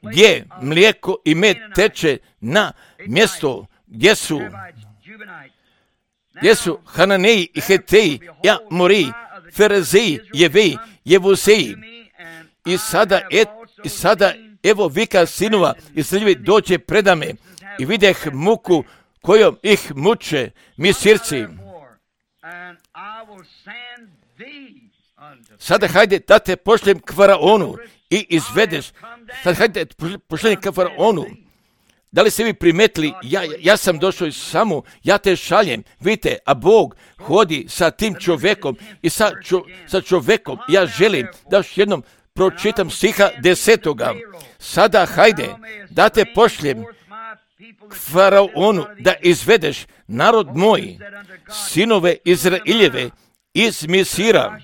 gdje mlijeko i med teče, na mjesto gdje su Hananeji i Heteji, Amoriji, Ferezeji, Jeveji, Jevuseji. I sada evo vika sinova Izraeljevi dođe predame i videh muku kojom ih muče Misirci. Sada hajde da te pošljem k Faraonu i izvedeš. Sada hajde pošljem k Faraonu. Da li ste vi primetili, ja sam došao samo, ja te šaljem, vidite, a Bog hodi sa tim čovjekom i sa čovjekom. Ja želim da još jednom pročitam stiha 10. Sada hajde da te pošljem k Faraonu da izvedeš narod moj, sinove Izraeljeve iz Misira.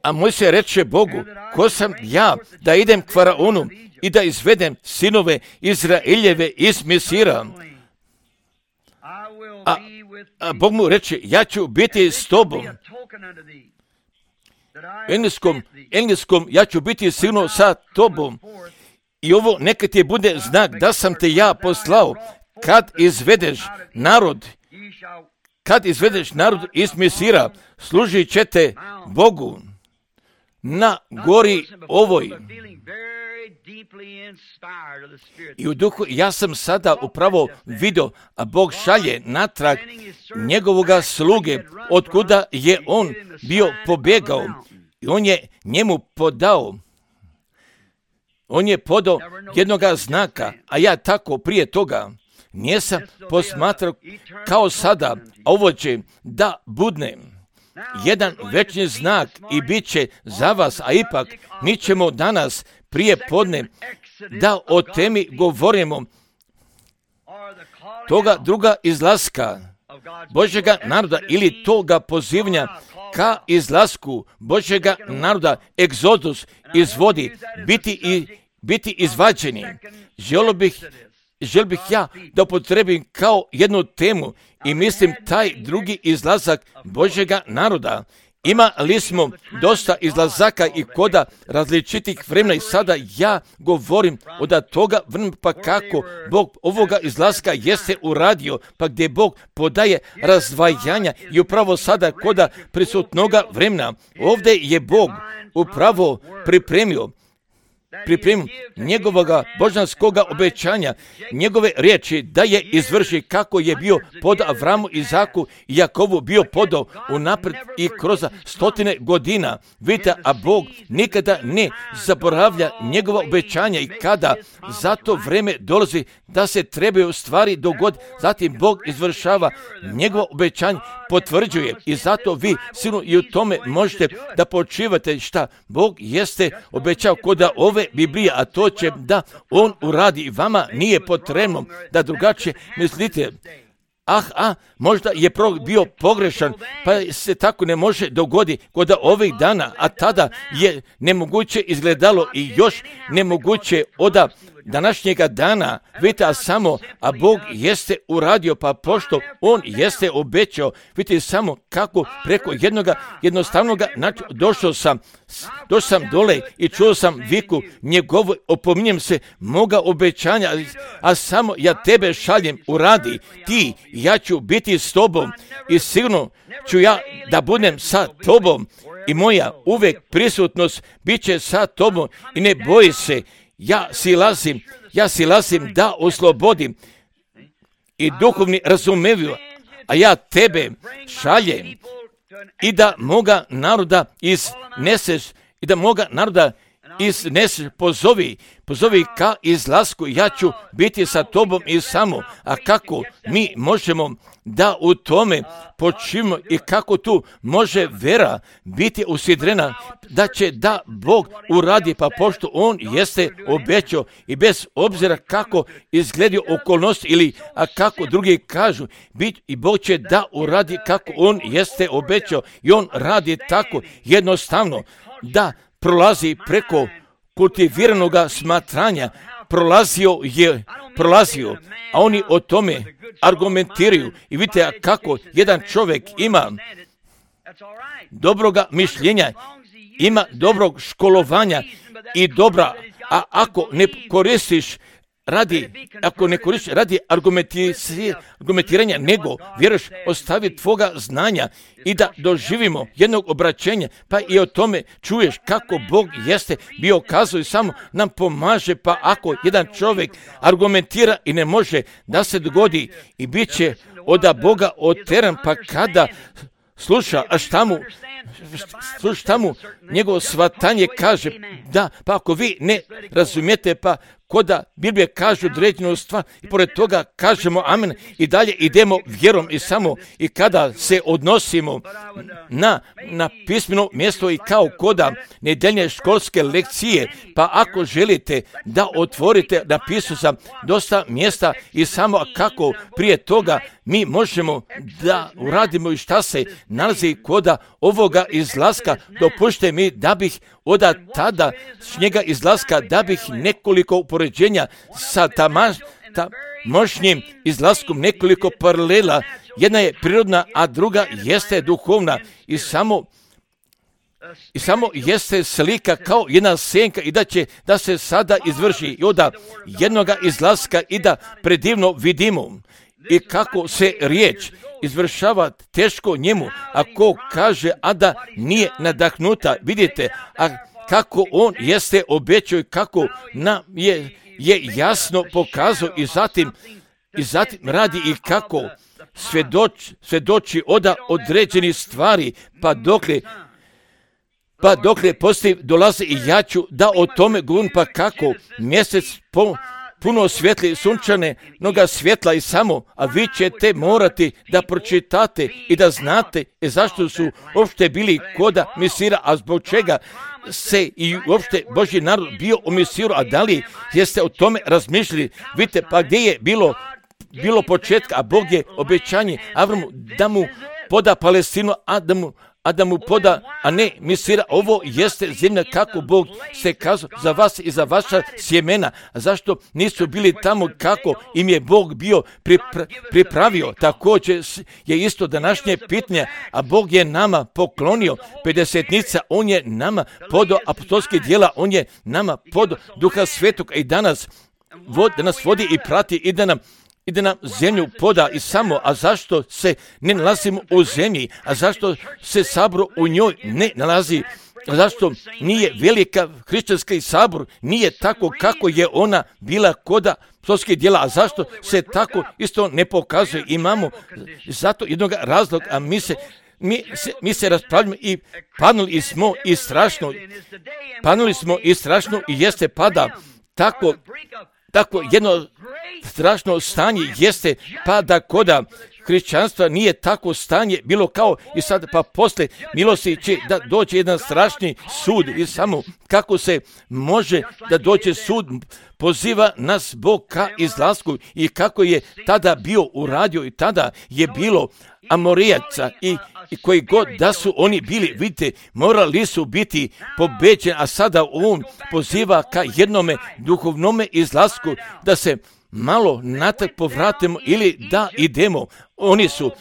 A Mojsije reče Bogu, ko sam ja da idem k Faraonu i da izvedem sinove Izraeljeve iz Misira? A Bog mu reče, ja ću biti s tobom. Engleskom, ja ću biti sigurno sa tobom. I ovo neka ti bude znak da sam te ja poslao kad izvedeš narod iz Misira, služit ćete Bogu na gori ovoj. I u duhu ja sam sada upravo vidio, a Bog šalje natrag njegovoga sluge, otkuda je on bio pobjegao. I on je njemu podao jednoga znaka, a ja tako prije toga nisam posmatrao kao sada, a ovo će da budne jedan večni znak i bit će za vas, a ipak mi ćemo danas prije podne da o temi govorimo toga druga izlaska Božjega naroda ili toga pozivanja ka izlasku Božjega naroda, egzodus izvodi, biti izvađeni. Želio bih ja da upotrebim kao jednu temu i mislim taj drugi izlazak Božjega naroda. Imali smo dosta izlazaka i koda različitih vremena i sada ja govorim od toga vremena pa kako Bog ovoga izlaska jeste uradio, pa gdje Bog podaje razdvajanja i upravo sada koda prisutnoga vremena. Ovdje je Bog upravo pripremio pripremu njegovoga božanskoga obećanja, njegove riječi da je izvrši kako je bio pod Avramu, Izaku i Jakovu bio podao unaprijed i kroz stotine godina. Vidite, a Bog nikada ne zaboravlja njegova obećanja i kada zato vreme dolazi da se trebaju stvari dogoditi, zatim Bog izvršava njegovo obećanje, potvrđuje i zato vi sigurno i u tome možete da počivate šta Bog jeste obećao kod ove Biblije, a to će da On uradi i vama nije potrebno da drugačije mislite. Možda je bio pogrešan, pa se tako ne može dogoditi kod ovih dana, a tada je nemoguće izgledalo i još nemoguće od današnjega dana, vidite, a Bog jeste uradio, pa pošto On jeste obećao, vidite samo kako preko jednostavnoga načina došao sam dole i čuo sam viku njegovu, opominjem se moga obećanja, a samo ja tebe šaljem, uradi ti, ja ću biti s tobom i sigurno ću ja da budem sa tobom i moja uvek prisutnost bit će sa tobom i ne boji se. Ja silazim da oslobodim i duhovni razumeviju, a ja tebe šaljem i da moga naroda izneseš, pozovi ka izlasku, ja ću biti sa tobom i samo. A kako mi možemo da u tome počivimo i kako tu može vera biti usidrena da će da Bog uradi, pa pošto On jeste obećao i bez obzira kako izgledaju okolnosti ili kako drugi kažu, i Bog će da uradi kako On jeste obećao i On radi tako jednostavno da prolazi preko kultiviranoga smatranja, prolazio, a oni o tome argumentiraju i vidite kako jedan čovjek ima dobroga mišljenja, ima dobrog školovanja i dobra, a ako ne koristiš radi argumentiranja, nego vjeruješ ostavi tvoga znanja i da doživimo jednog obraćenja, pa i o tome čuješ kako Bog jeste bio kazao i samo nam pomaže, pa ako jedan čovjek argumentira i ne može da se dogodi i bit će od Boga oteran, pa kada sluša, šta mu njegovo shvatanje kaže, da, pa ako vi ne razumijete, pa koda Biblija kaže određenu stvar i pored toga kažemo amen i dalje idemo vjerom i samo i kada se odnosimo na pismeno mjesto i kao koda nedeljne školske lekcije, pa ako želite da otvorite, napisao sam dosta mjesta i samo kako prije toga mi možemo da uradimo i šta se nalazi koda ovoga izlaska, dopušte mi da bih od tada njega izlaska, da bih nekoliko upoređenja sa tamošnjim izlaskom, nekoliko paralela, jedna je prirodna, a druga jeste duhovna i samo jeste slika kao jedna senka i da se sada izvrši i od jednoga izlaska i da predivno vidimo i kako se riječ izvršava teško njemu, ako kaže, a da nije nadahnuta. Vidite, a kako on jeste obećao i kako nam je jasno pokazao i zatim radi i kako svjedoči od određenih stvari, pa dokle poslije dolazi i ja ću da o tome govorim, pa kako mjesec puno svjetli sunčane noga svjetla i samo, a vi ćete morati da pročitate i da znate zašto su uopšte bili koda Misira, a zbog čega se i uopšte Božji narod bio u Misiru, a da li jeste o tome razmišljali? Vidite, pa gdje je bilo početka, a Bog je obećanje Avramu da mu poda Palestinu, a da mu poda, a ne Misira. Ovo jeste zemlja kako Bog se kazao za vas i za vaša sjemena. A zašto nisu bili tamo kako im je Bog bio pripravio? Također je isto današnje pitanje, a Bog je nama poklonio 50-nica, On je nama podao apostolske djela, On je nama podao Duha Svetog i da nas vodi i prati i da nam zemlju poda i samo, a zašto se ne nalazimo u zemlji, a zašto se sabor u njoj ne nalazi Zašto nije velika hrišćanski sabor, nije tako kako je ona bila kod apostolskih djela, a zašto se tako isto ne pokazuje? Imamo zato jednog razloga, a mi se raspravljamo i panuli smo i strašno i jeste pada tako jedno strašno stanje jeste pada koda hrišćanstva, nije tako stanje bilo kao i sad, pa posle milosti će da dođe jedan strašni sud i samo kako se može da dođe sud, poziva nas Bog ka izlasku i kako je tada bio uradio i tada je bilo Amorijaca i koji god da su oni bili, vidite, morali su biti pobeđeni, a sada on poziva ka jednome duhovnome izlasku da se malo natrag povratimo ili da idemo. Oni su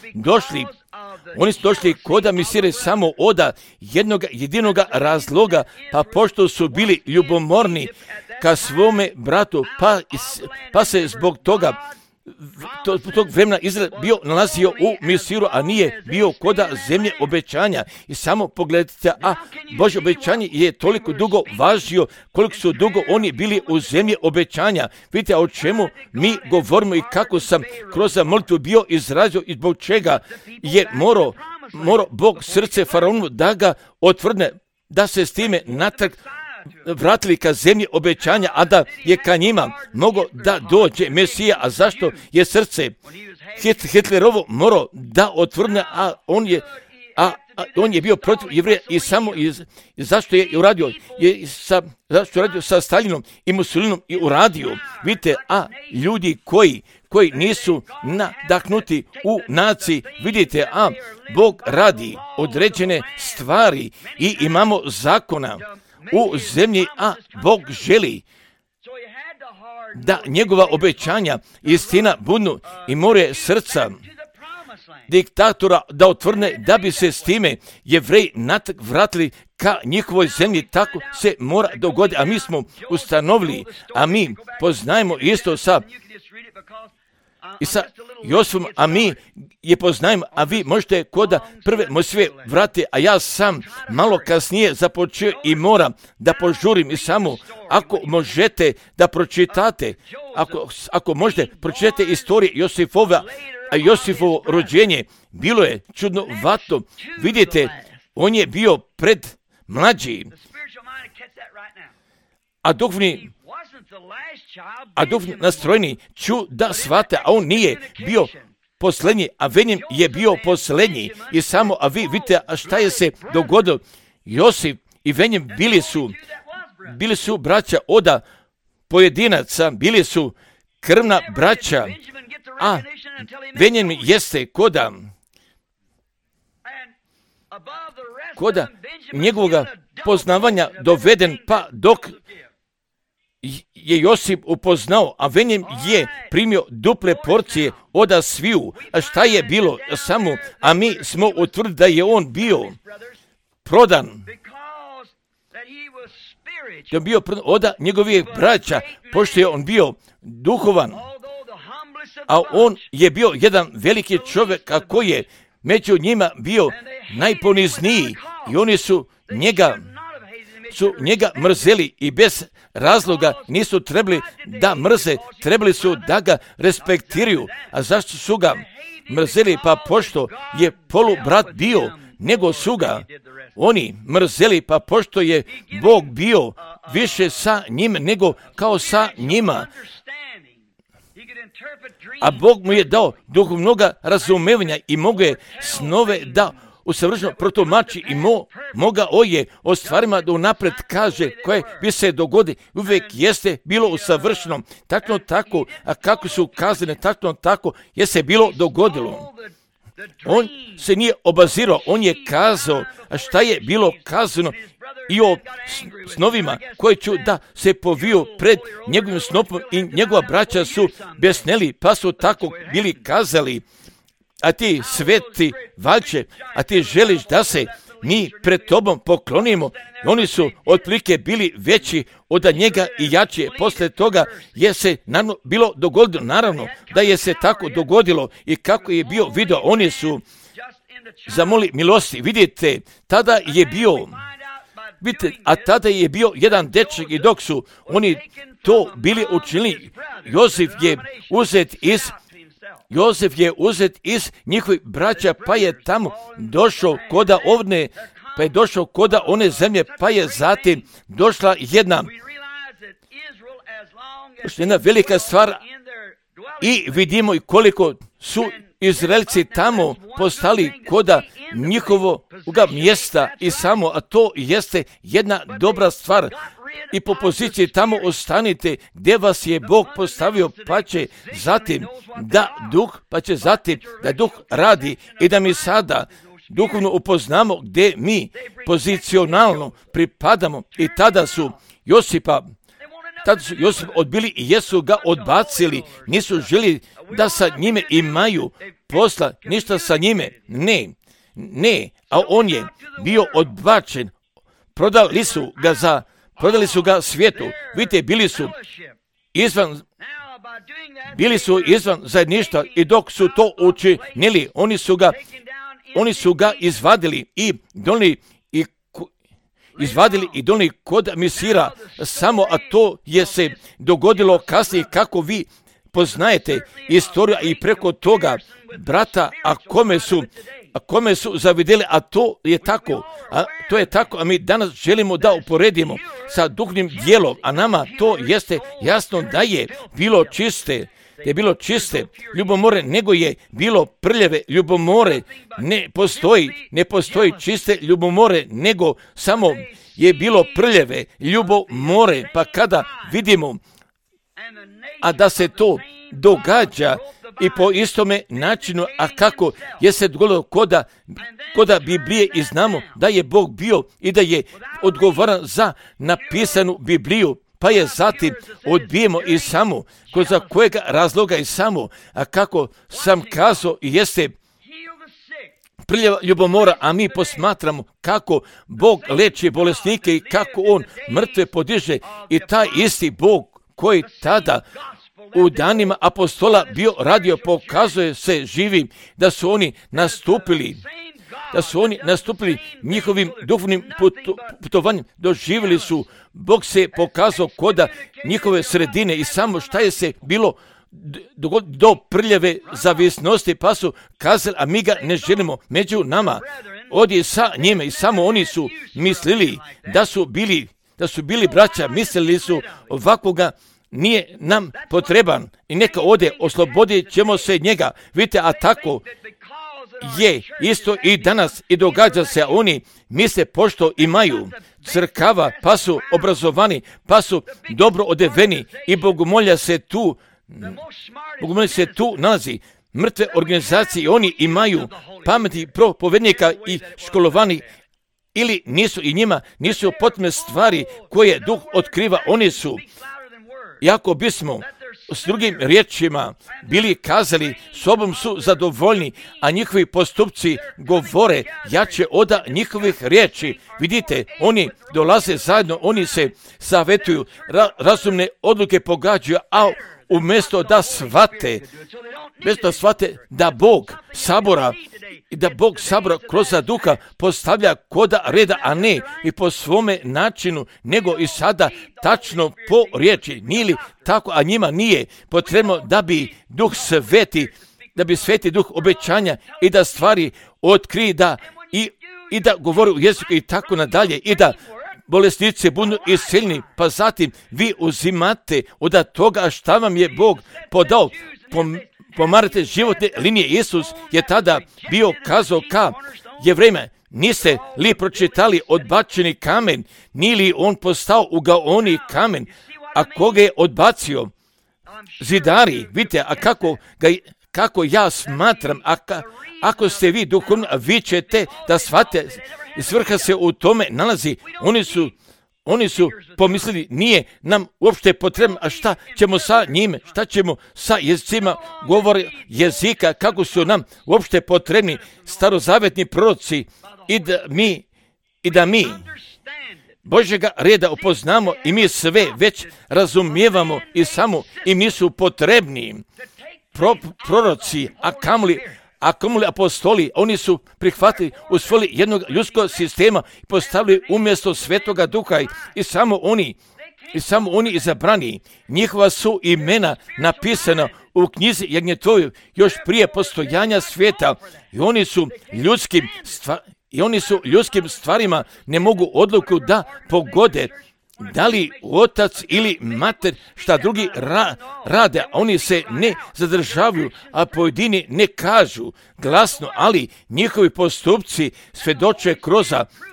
došli koda misire samo oda jednog jedinog razloga, pa pošto su bili ljubomorni ka svome bratu, pa se zbog toga tog vremena Izrael bio nalazio u Misiru, a nije bio koda zemlje obećanja. I samo pogledajte, a Božje obećanje je toliko dugo važio koliko su dugo oni bili u zemlji obećanja. Vidite o čemu mi govorimo i kako sam kroz molitvu bio izrazio i zbog čega je morao Bog srce faraonu da ga otvrne, da se s time natrag vratili ka zemlji obećanja, a da je ka njima mogo da dođe Mesija. A zašto je srce Hitlerovo morao da otvrne, a on je bio protiv Jevreja i samo zašto je uradio? Zašto je uradio sa Stalinom i Mussolinom i uradio? Vidite, a ljudi koji nisu nadahnuti u naciji, vidite, a Bog radi određene stvari i imamo zakona u zemlji, a Bog želi da njegova obećanja istina budnu i more srca diktatora da otvrne, da bi se s time Jevreji natrag vratili ka njihovoj zemlji. Tako se mora dogoditi, a mi smo ustanovili, a mi poznajemo isto sa Josifom, a mi je poznajemo, a vi možete koda prve Mojsijeve vrati, a ja sam malo kasnije započeo i moram da požurim i samo ako možete da pročitate, ako možete pročitate istorije Josifovo rođenje, bilo je čudnovato. Vidite, on je bio pred mlađi, a duhovni nastrojeni ću da shvate, a on nije bio posljednji, a Venjem je bio posljednji. I samo, a vi vidite, a šta je se dogodilo? Josif i Venjem bili su braća oda pojedinaca, bili su krvna braća, a Venjem jeste koda njegovoga poznavanja doveden, pa dok je Josip upoznao, a Venjem je primio duple porcije oda sviju. A šta je bilo samo, a mi smo utvrdili da je on bio prodan. Da je bio prodan oda njegovih braća, pošto je on bio duhovan, a on je bio jedan veliki čovjek, a koji je među njima bio najponizniji i oni su njega mrzeli i bez razloga nisu trebali da mrze, trebali su da ga respektiraju. A zašto su ga mrzeli? Pa pošto je polubrat bio, nego su ga oni mrzeli, pa pošto je Bog bio više sa njim nego kao sa njima. A Bog mu je dao duhovnoga razumevanja i mogu je snove da usavršeno protumači i mogao je o stvarima da unapred kaže koje bi se dogodi. Uvijek jeste bilo usavršeno, tačno tako, a kako su kazane, tačno tako je se bilo dogodilo. On se nije obazirao, on je kazao, a šta je bilo kazano i o snovima koji ću da se poviju pred njegovim snopom i njegova braća su besneli, pa su tako bili kazali, a ti sveti valjče, a ti želiš da se mi pred tobom poklonimo. Oni su otprilike bili veći od njega i jači. Posle toga je se bilo dogodilo, naravno da je se tako dogodilo i kako je bio video, oni su zamoli milosti. Vidite, tada je Vidite, a tada je bio jedan dečak i dok su oni to bili učinili, Jozef je uzet iz njihovih braća, pa je tamo došao koda one zemlje, pa je zatim došla jedna velika stvar i vidimo i koliko su Izraelci tamo postali koda njihovog mjesta i samo, a to jeste jedna dobra stvar. I po poziciji tamo ostanite gdje vas je Bog postavio, pa će zatim da duh radi i da mi sada duhovno upoznamo gdje mi pozicionalno pripadamo. I tada su Josipa odbili i jesu ga odbacili, nisu želi da sa njime imaju posla, ništa sa njime, ne, a on je bio odbačen, prodali su ga svijetu. Vidite, bili su izvan zajedništva i dok su to učinili, oni su ga izvadili i donijeli kod Misira samo, a to je se dogodilo kasnije, kako vi poznajete istoriju i preko toga brata, a kome su zavidjeli, a to je tako, a mi danas želimo da uporedimo sa duhovnim dijelom, a nama to jeste jasno da je bilo čiste ljubomore, nego je bilo prljave ljubomore. Ne postoji čiste ljubomore, nego samo je bilo prljave ljubomore. Pa kada vidimo, a da se to događa i po istome načinu, a kako je se dogodilo koda Biblije, i znamo da je Bog bio i da je odgovoran za napisanu Bibliju, pa je zatim odbijemo i samo, za kojega razloga i samo, a kako sam kazao, jeste prljava ljubomora, a mi posmatramo kako Bog leči bolesnike i kako On mrtve podiže, i taj isti Bog koji tada u danima apostola bio radio, pokazuje se živim, da su oni nastupili njihovim duhovnim putovanjem, doživjeli su, Bog se pokazao koda njihove sredine i samo šta je se bilo do prljave zavisnosti, pa su kazali, a mi ga ne želimo među nama, odi sa njime, i samo oni su mislili da su bili braća, mislili su ovakvoga nije nam potreban i neka ode, oslobodit ćemo se njega. Vidite, a tako je isto i danas i događa se, oni misle pošto imaju crkava, pa su obrazovani, pa su dobro odeveni i bogomolja se tu nalazi. Mrtve organizacije, oni imaju pametni propovednika i školovani, ili nisu, i njima nisu potrebne stvari koje duh otkriva. Oni su, jako bismo s drugim riječima bili kazali, sobom su zadovoljni, a njihovi postupci govore jače od njihovih riječi. Vidite, oni dolaze zajedno, oni se savjetuju, razumne odluke pogađaju, a umjesto da shvate da Bog sabora kroz duha postavlja koda reda, a ne i po svome načinu, nego i sada tačno po riječi. Nije li tako, a njima nije potrebno da bi duh sveti duh obećanja i da stvari otkrije, i da govori u jeziku i tako nadalje, i da bolesnici budu isceljeni, pa zatim vi uzimate od toga šta vam je Bog podao. Pomarate životne linije. Isus je tada bio kazao ka Jevrejima, niste li pročitali odbačeni kamen, nije li on postao ugaoni kamen, a koga je odbacio? Zidari. Vidite, a kako ja smatram, ako ste vi duhovno, vi ćete da shvate, svrha se u tome nalazi. Oni su pomislili, nije nam uopšte potrebno, a šta ćemo sa njime, šta ćemo sa jezicima govore jezika, kako su nam uopšte potrebni starozavetni proroci, i da mi Božjega reda upoznamo i mi sve već razumijevamo i samo im nisu potrebni proroci, a kamoli apostoli, oni su prihvatili, usvojili jednog ljudskog sistema i postavili umjesto Svetoga Duha i samo oni izabrani. Njihova su imena napisana u knjizi Jagnjetovoj još prije postojanja svijeta i oni su ljudskim stvarima ne mogu odluku da pogode da li otac ili mater šta drugi rade, a oni se ne zadržavaju, a pojedini ne kažu glasno, ali njihovi postupci svjedoče kroz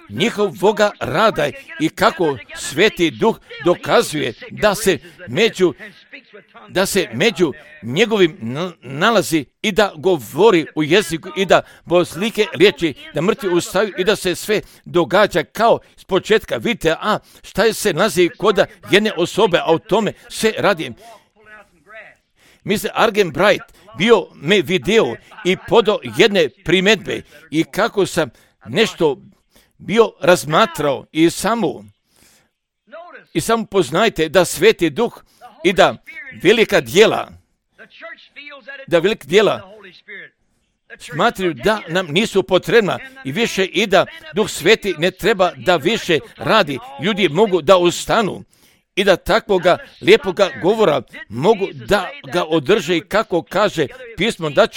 njihovoga rada i kako Sveti Duh dokazuje da se među njegovim nalazi i da govori u jeziku i da boslike riječi, da mrtvi ustaju i da se sve događa kao s početka. Vidite, šta je se nalazi kod jedne osobe, a o tome se radi. Mr. Argen Bright bio me video i podao jedne primjedbe i kako sam nešto bio razmatrao i samo poznajte da Sveti Duh i da velika djela smatraju da nam nisu potrebna i više i da Duh Sveti ne treba da više radi. Ljudi mogu da ustanu i da takvoga lijepoga govora mogu da ga održe i kako kaže pismo da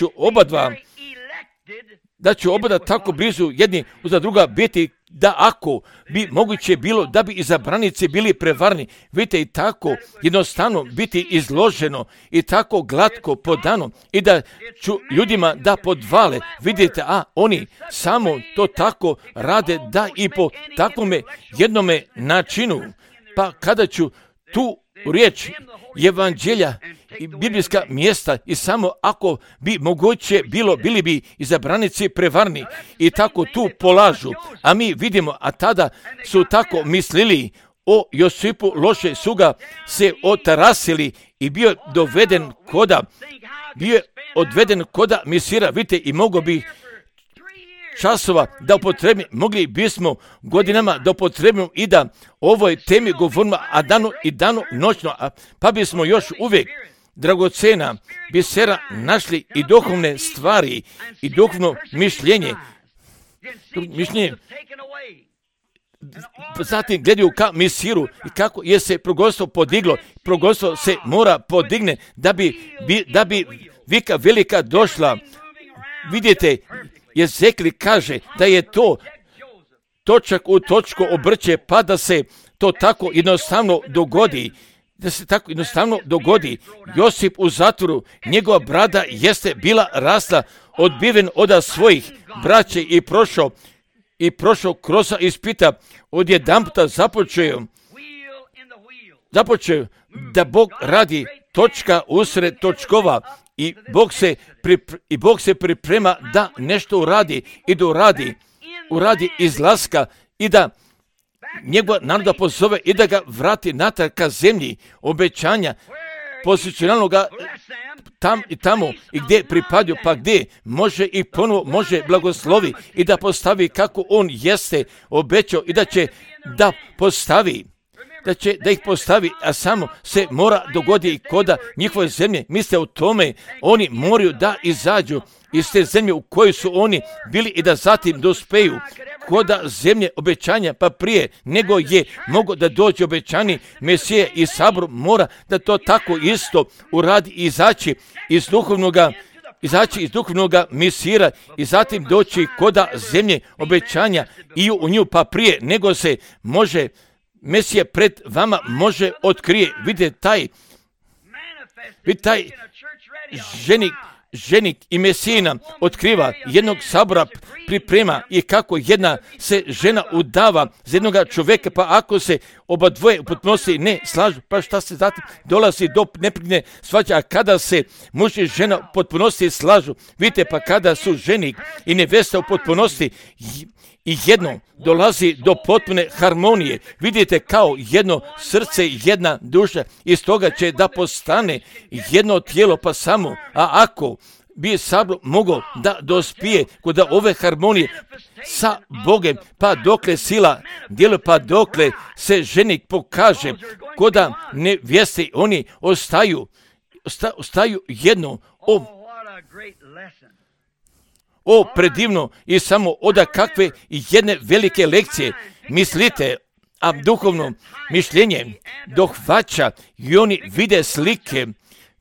ću oba tako blizu jedni uza druga biti, da ako bi moguće bilo da bi izabranici bili prevarni, vidite i tako jednostavno biti izloženo i tako glatko podano i da ću ljudima da podvale, vidite, oni samo to tako rade da i po takvome jednome načinu, pa kada ću tu riječ evanđelja i biblijska mjesta i samo ako bi moguće bilo, bili bi izabranici prevarni i tako tu polažu, a mi vidimo, a tada su tako mislili o Josipu, loše su ga se otarasili i bio odveden koda misira, vidite, i mogo bi časova da upotrebimo, mogli bismo godinama da upotrebimo i da ovoj temi govorimo, a danu noćno, pa bismo još uvijek dragocena bisera našli i duhovne stvari i duhovno mišljenje. Zatim gledaju ka misiru i kako je se proglastvo podiglo. Proglastvo se mora podigne da bi vika velika došla. Vidite, Jezekli kaže da je to točak u točku obrće, pa da se to tako jednostavno dogodi. Josip u zatvoru, njegova brada jeste bila rasla, odbiven od svojih braće i prošao kroz ispita, odjedanputa započeo da Bog radi točka usred točkova i Bog se priprema da nešto uradi i da uradi izlaska i da njegova naroda pozove i da ga vrati natrag ka zemlji obećanja, pozicionalnoga tamo i gdje pripadaju, pa gdje može i ponovo može blagoslovi i da postavi kako on jeste obećao i da će da postavi, da ih postavi, a samo se mora dogoditi koda njihove zemlje. Mislite o tome, oni moraju da izađu iz te zemlje u kojoj su oni bili i da zatim dospeju koda zemlje obećanja, pa prije nego je mogo da dođe obećani Mesija i sabor mora da to tako isto uradi i izaći iz duhovnoga misira i zatim doći koda zemlje obećanja i u nju, pa prije nego se može Mesija pred vama može otkrije. Vidite taj ženik i Mesijina otkriva, jednog sabora priprema i kako jedna se žena udava za jednoga čovjeka, pa ako se oba dvoje u potpunosti ne slažu, pa šta se zatim dolazi do neprekidne svađe, a kada se muž i žena u potpunosti slažu, vidite, pa kada su ženik i nevesta u potpunosti i jedno dolazi do potpune harmonije, vidite, kao jedno srce, jedna duša, iz toga će da postane jedno tijelo, pa samo, a ako bi sabor mogao da dospije kod ove harmonije sa Bogem, pa dokle sila djeluje, pa dokle se ženik pokaže, koda nevjeste, oni ostaju jedno. o predivno i samo od kakve jedne velike lekcije mislite, a duhovno mišljenje dohvaća i oni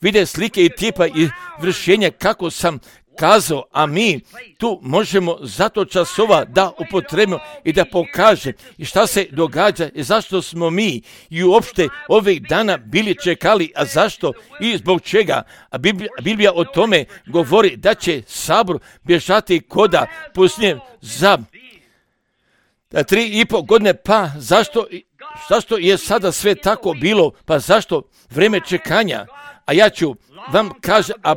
vide slike i tipa i vršenja kako sam kazao, a mi tu možemo zato časova da upotrebimo i da pokaže i šta se događa i zašto smo mi i uopšte ovih dana bili čekali, a zašto i zbog čega. A Biblija o tome govori da će sabor bježati koda pustinje za 3,5 godine, pa zašto je sada sve tako bilo, pa zašto vreme čekanja? A ja ću vam kaže, a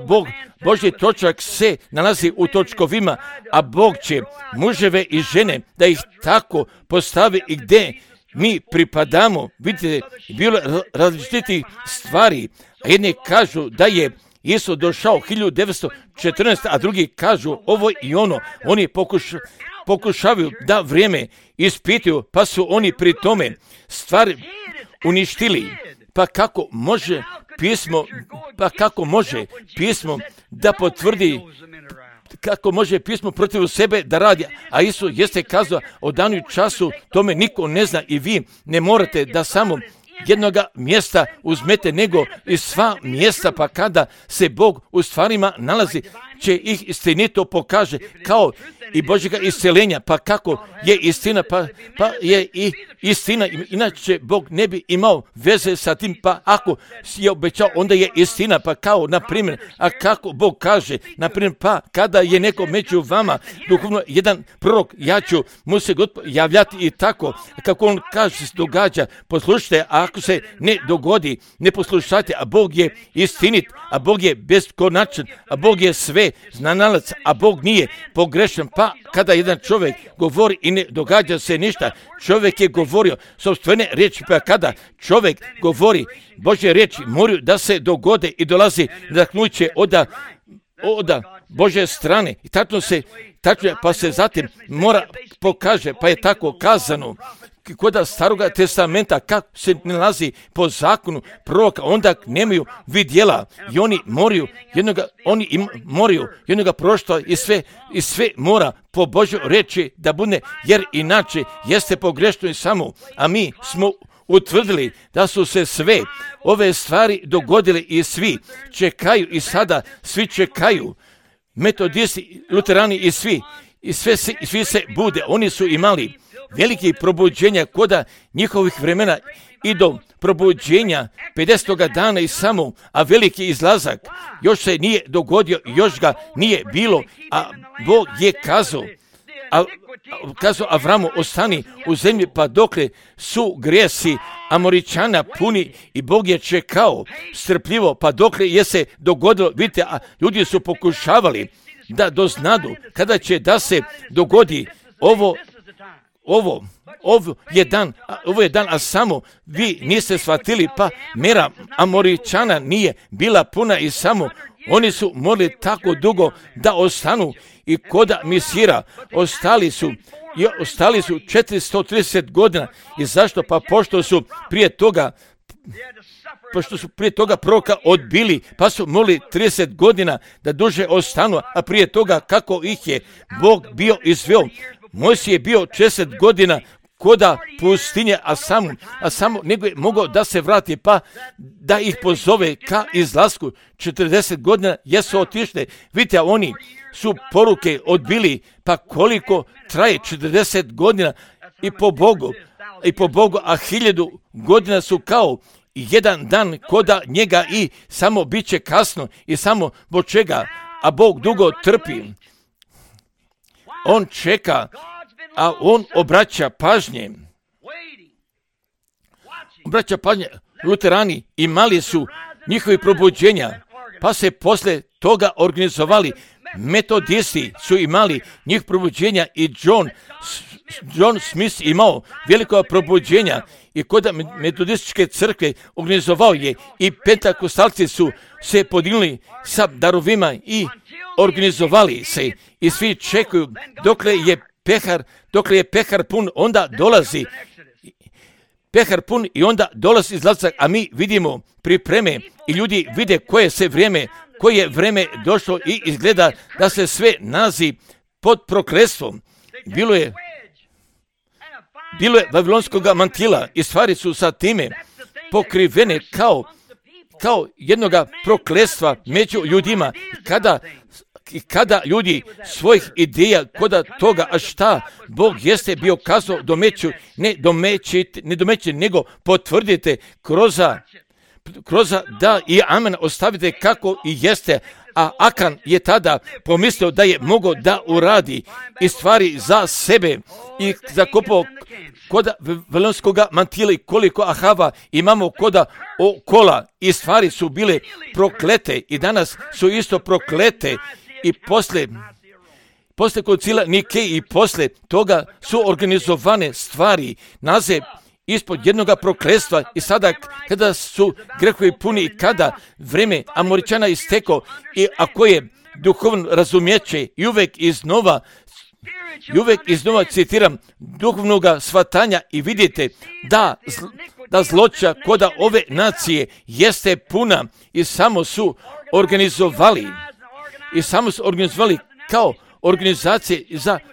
Božji točak se nalazi u točkovima, a Bog će muževe i žene da ih tako postavi i gdje mi pripadamo. Vidite, bilo različitih stvari, a jedni kažu da je Isus došao 1914, a drugi kažu ovo i ono. Oni pokušavaju da vrijeme ispituju, pa su oni pri tome stvari uništili. Pa kako može pismo da potvrdi, kako može pismo protiv sebe da radi, a Isus jeste kazao o danu i času, tome niko ne zna i vi ne morate da samo jednoga mjesta uzmete, nego i sva mjesta, pa kada se Bog u stvarima nalazi, će ih istinito pokaže, kao i Božjega isceljenja, pa kako je istina, pa je i istina, inače Bog ne bi imao veze sa tim, pa ako je obećao, onda je istina, pa kao, na primjer, a kako Bog kaže, na primjer, pa kada je neko među vama, duhovno jedan prorok, ja ću mu se javljati i tako, kako on kaže se događa, poslušajte, a ako se ne dogodi, ne poslušajte, a Bog je istinit, a Bog je beskonačan, a Bog je sve znanalac, a Bog nije pogrešan. Pa kada jedan čovjek govori i ne događa se ništa, čovjek je govorio sopstvene riječi, pa kada čovjek govori Božje riječi, moraju da se dogode i dolazi nadahnuće od Božje strane. I tačno pa se zatim mora pokaže, pa je tako kazano kod Staroga testamenta, kako se nalazi po zakonu proroka, onda nemaju vidjela i oni moraju jednoga proštva i sve mora po Božjoj reči da bude, jer inače jeste pogrešno i samo, a mi smo utvrdili da su se sve ove stvari dogodile i svi čekaju i sada svi čekaju, metodisti, luterani i svi se bude, oni su imali veliki probuđenja koda njihovih vremena i do probuđenja 50. dana i samo, a veliki izlazak još se nije dogodio, još ga nije bilo, a Bog je kazao Avramu, ostani u zemlji pa dokle su grijesi Amoričana puni, i Bog je čekao strpljivo pa dokle je se dogodilo. Vidite, a ljudi su pokušavali da doznadu kada će da se dogodi ovo je dan, a samo vi niste shvatili, pa mera Amoričana nije bila puna i samo oni su morali tako dugo da ostanu i koda Misira ostali su 430 godina. I zašto? Pa pošto su prije toga proroka odbili, pa su morali 30 godina da duže ostanu, a prije toga kako ih je Bog bio izveo. Mojsije je bio 40 godina koda pustinje, a samo nego je mogao da se vrati, pa da ih pozove ka izlasku. 40 godina jesu otišli. Vidite, oni su poruke odbili, pa koliko traje 40 godina i po Bogu, a 1000 godina su kao jedan dan koda njega i samo bit će kasno i samo zbog čega, a Bog dugo trpi. On čeka, a on obraća pažnje. Luterani imali su njihovi probuđenja, pa se posle toga organizovali. Metodisti su imali njih probuđenja i John Smith imao veliko probuđenja i kod metodističke crkve organizovao je, i pentakostalci su se podijelili sa darovima i organizovali se i svi čekaju dokle je pehar pun, onda dolazi pehar pun i onda dolazi izlazak, a mi vidimo pripreme i ljudi vide koje je vreme došlo i izgleda da se sve nalazi pod prokletstvom. Bilo je vavilonskog mantila i stvari su sa time pokrivene kao jednoga prokletstva među ljudima. Kada ljudi svojih ideja koda toga, a šta Bog jeste bio kazao ne domećite, nego potvrdite kroz da i amen ostavite kako i jeste. A Akan je tada pomislio da je mogao da uradi i stvari za sebe i zakopao koda vavilonskog mantila i koliko Ahava imamo koda okola i stvari su bile proklete i danas su isto proklete i posle koncila Nike i posle toga su organizovane stvari nalaze ispod jednog prokletstva i sada kada su grehovi puni i kada vreme Amoričana istekao i ako je duhovno razumjeće i uvek iznova citiram duhovnog shvatanja i vidite da zloća koda ove nacije jeste puna i samo su organizovali kao organizacije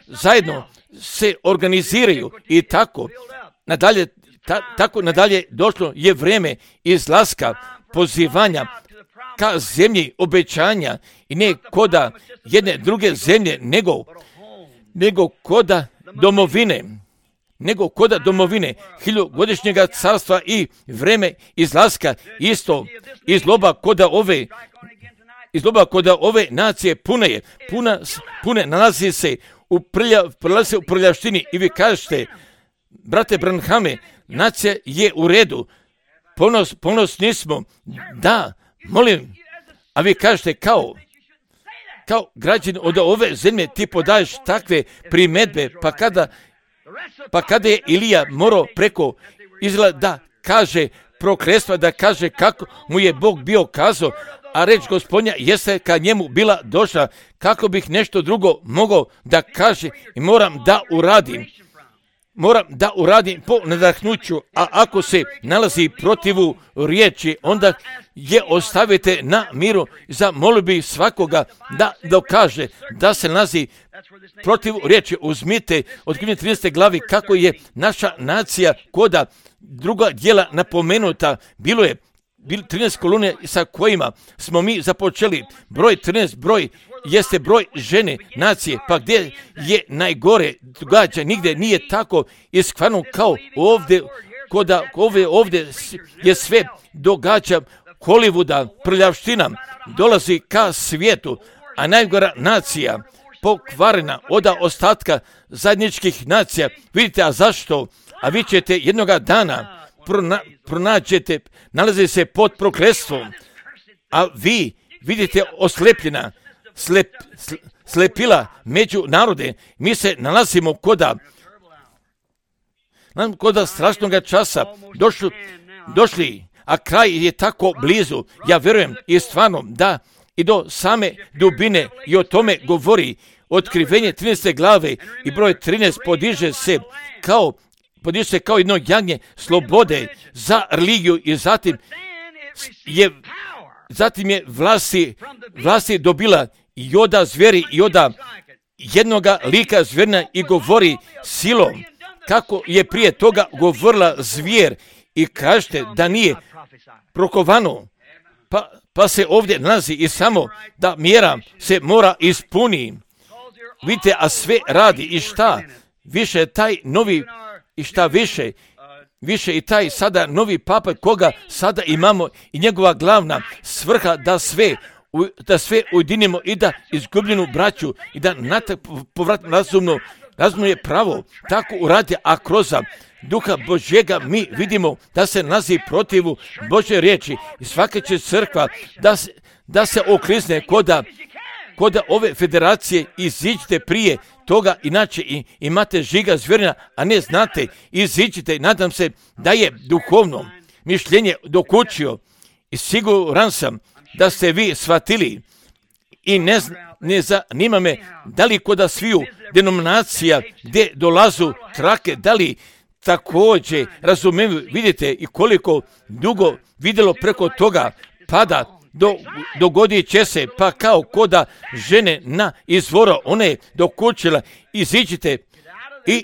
zajedno se organiziraju i tako nadalje došlo je vreme izlaska pozivanja ka zemlji obećanja i ne koda jedne druge zemlje nego koda hiljugodišnjeg carstva i vreme izlaska isto izloba koda ove nacije pune nalazi se u prljavštini i vi kažete, brate Branhame, nacija je u redu, ponosni smo, da, molim, a vi kažete kao građan od ove zemlje ti podaješ takve primedbe, pa kada je Ilija morao preko Izraela da kaže prokletstva, da kaže kako mu je Bog bio kazao, a reč Gospodnja jeste ka njemu bila došla, kako bih nešto drugo mogao da kaže i moram da uradim po nadahnuću, a ako se nalazi protivu riječi, onda je ostavite na miru. Zamolio bih svakoga da dokaže da se nalazi protiv riječi. Uzmite od 13. glavi kako je naša nacija koda druga djela napomenuta. Bilo 13 kolone sa kojima smo mi započeli. Broj 13, broj jeste broj žene nacije, pa gdje je najgore događa, nigdje nije tako iskvarno kao ovdje, ovdje je sve događa Hollywooda, prljavština, dolazi ka svijetu, a najgora nacija pokvarena od ostatka zajedničkih nacija. Vidite, a zašto? A vi ćete jednoga dana pronađete, nalazi se pod prokletstvom, a vi vidite oslepljena, slepila među narode. Mi se nalazimo koda strašnog časa došli, a kraj je tako blizu. Ja vjerujem i stvarno da i do same dubine i o tome govori Otkrivenje 13. glave i broj 13 podiže se kao jedno jagnje slobode za religiju i zatim je vlasti dobila joda zveri i joda jednoga lika zverna i govori silom kako je prije toga govorila zvijer i kažete da nije prokovano, pa se ovdje nalazi i samo da mjera se mora ispuni. Vidite, a sve radi i šta više taj novi i šta više i taj sada novi papa koga sada imamo i njegova glavna svrha da sve ujedinimo i da izgubljenu braću i da povratno razumno je pravo tako uradi, a kroz Duha Božjega mi vidimo da se nalazi protivu Božje riječi i svaka će crkva da se oklizne koda ove federacije. Iziđite prije toga, inače imate žiga zvjerina, a ne znate, iziđite. Nadam se da je duhovno mišljenje dokučio i siguran sam da ste vi shvatili i ne zanima me da li koda sviju denominacija gdje dolazu trake, da li također razumiju, vidite i koliko dugo vidjelo preko toga dogodit će se, pa kao koda žene na izvora, one dokučila,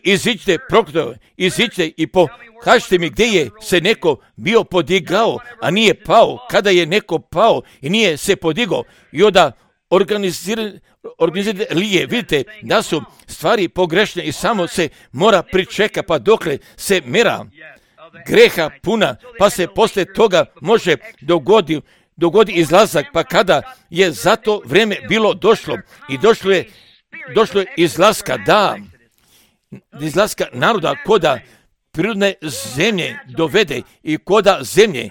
iziđite prokletove, iziđite i pokažite mi gdje je se neko bio podigao, a nije pao, kada je neko pao i nije se podigao i onda organizirali lije, vidite da su stvari pogrešne i samo se mora pričeka pa dokle se mera greha puna, pa se poslije toga može dogodi izlazak, pa kada je za to vrijeme bilo došlo i došlo je izlaska naroda koda prirodne zemlje dovede i koda zemlje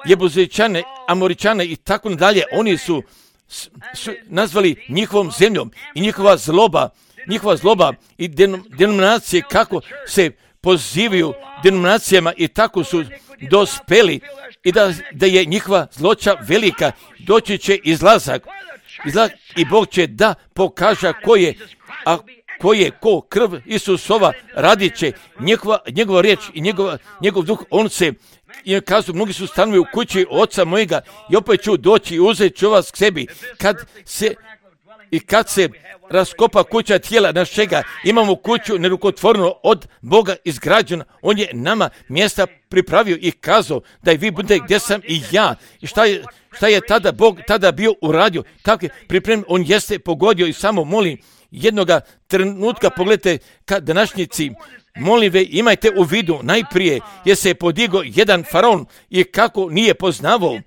Jebuzičane, Amoričane i tako dalje, oni su nazvali njihovom zemljom i njihova zloba i denominacije kako se pozivaju denominacijama i tako su dospeli i da je njihova zloća velika, doći će izlazak i Bog će da pokaže ko krv Isusova radit će njegova riječ i njegov duh, on se i kažu, mnogi su stanovi u kući oca mojega i opet ću doći i uzet ću vas k sebi. Kad se raskopa kuća tijela našega, imamo kuću nerukotvornu od Boga izgrađena, on je nama mjesta pripravio i kazao da i vi budete gdje sam i ja. I šta je tada Bog tada bio uradio, tako je pripremljen, on jeste pogodio i samo molim jednoga trenutka, pogledajte ka današnjici, molim ve, imajte u vidu, najprije je se podigao jedan faraon i kako nije poznavao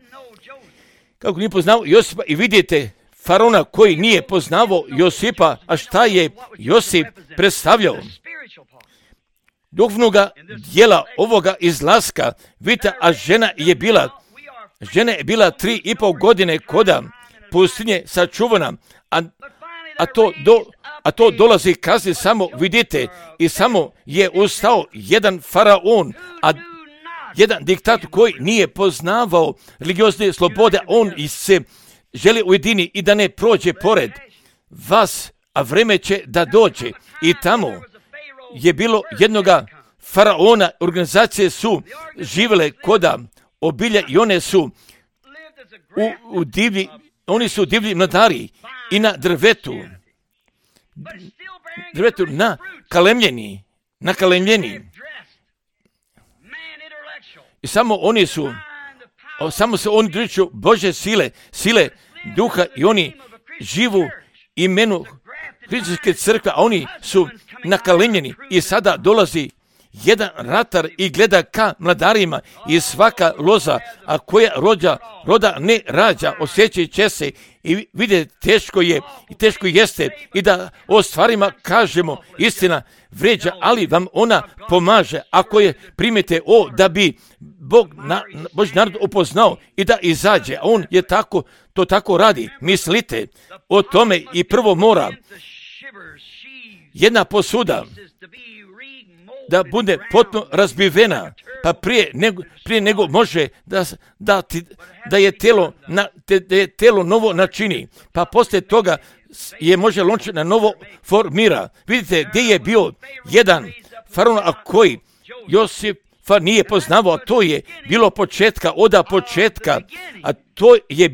Josipa i vidite faraona koji nije poznavao Josipa, a šta je Josip predstavljao? Duhovnoga dijela ovoga izlaska, vidite, a žena je bila 3,5 godine koda pustinje sačuvana, a to dolazi kasnije, samo vidite, i samo je ustao jedan faraon, a jedan diktator koji nije poznavao religiozne slobode, on se želi ujedini i da ne prođe pored vas, a vreme će da dođe. I tamo je bilo jednoga faraona, organizacije su živjele koda obilja i one su oni su divlji mladari i na drvetu nakalemljeni. I samo se oni driču Bože sile duha i oni živu imenu Hrišćanske crkve, a oni su nakalemljeni i sada dolazi jedan ratar i gleda ka mladarima i svaka loza, a koja roda ne rađa, osjećat će se i vidite, teško jeste i da o stvarima kažemo, istina vređa, ali vam ona pomaže ako je primite da bi Božji narod upoznao i da izađe, a on je to tako radi. Mislite o tome i prvo mora jedna posuda da bude potpuno razbivena, pa prije nego može da je telo novo načini, pa poslije toga je može lonče na novo formira. Vidite gdje je bio jedan faraon, a koji Josipa nije poznavao, a to je bilo početka, a to je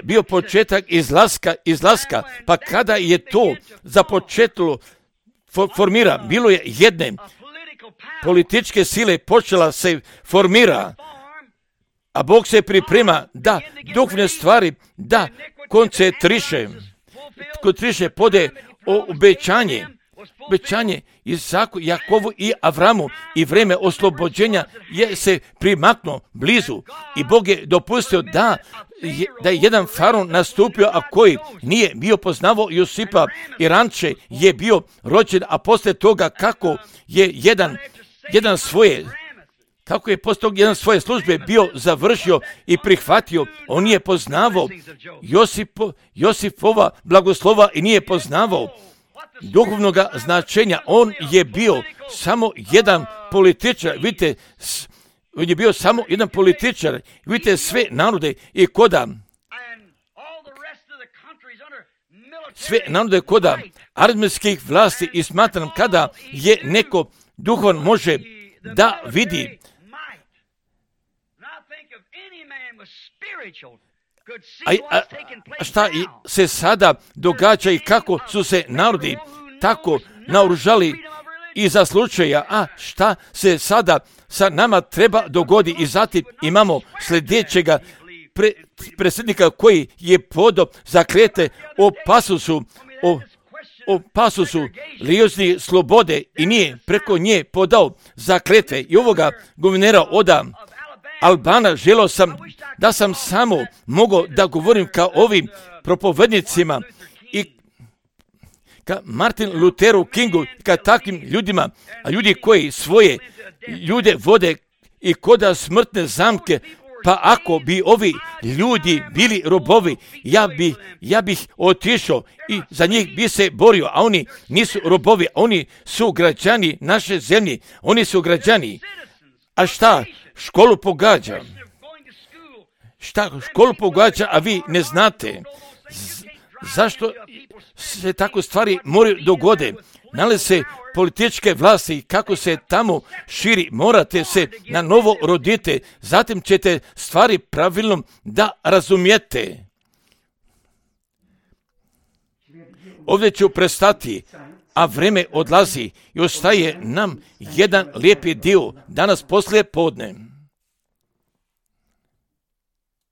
bio početak izlaska, pa kada je to započetilo formira, bilo je jedne političke sile počela se formira, a Bog se priprema da duhovne stvari da koncentriše pode o obećanje Isaku, Jakovu i Avramu i vreme oslobođenja je se primaknuo blizu i Bog je dopustio da je jedan faraon nastupio, a koji nije bio poznavao Josipa i ranče je bio rođen, a poslije toga kako je jedan svoje službe bio završio i prihvatio, on nije poznavao Josipova blagoslova i nije poznavao duhovnoga značenja. On je bio samo jedan političar, vidite, on je bio samo jedan političar, vidite sve narode i koda armijskih vlasti i smatram kada je neko duhovan može da vidi A šta se sada događa i kako su se narodi tako naoružali i za slučaja, a šta se sada sa nama treba dogodi i zatim imamo sljedećega predsjednika koji je podao zakletve o pasusu lijozni slobode i nije preko nje podao zakletve i ovoga guvernera od Albana želio sam da sam samo mogao da govorim kao ovim propovednicima i ka Martin Lutheru Kingu, ka takvim ljudima, a ljudi koji svoje ljude vode i koda smrtne zamke, pa ako bi ovi ljudi bili robovi, ja bih otišao i za njih bi se borio, a oni nisu robovi, oni su građani naše zemlje, oni su građani. A šta školu pogađa? Šta školu pogađa, a vi ne znate? Zašto se tako stvari moraju dogode? Nalaze se političke vlasti, kako se tamo širi, morate se na novo roditi, zatim ćete stvari pravilno da razumijete. Ovdje ću prestati, a vreme odlazi i ostaje nam jedan lijepi dio danas poslije podne.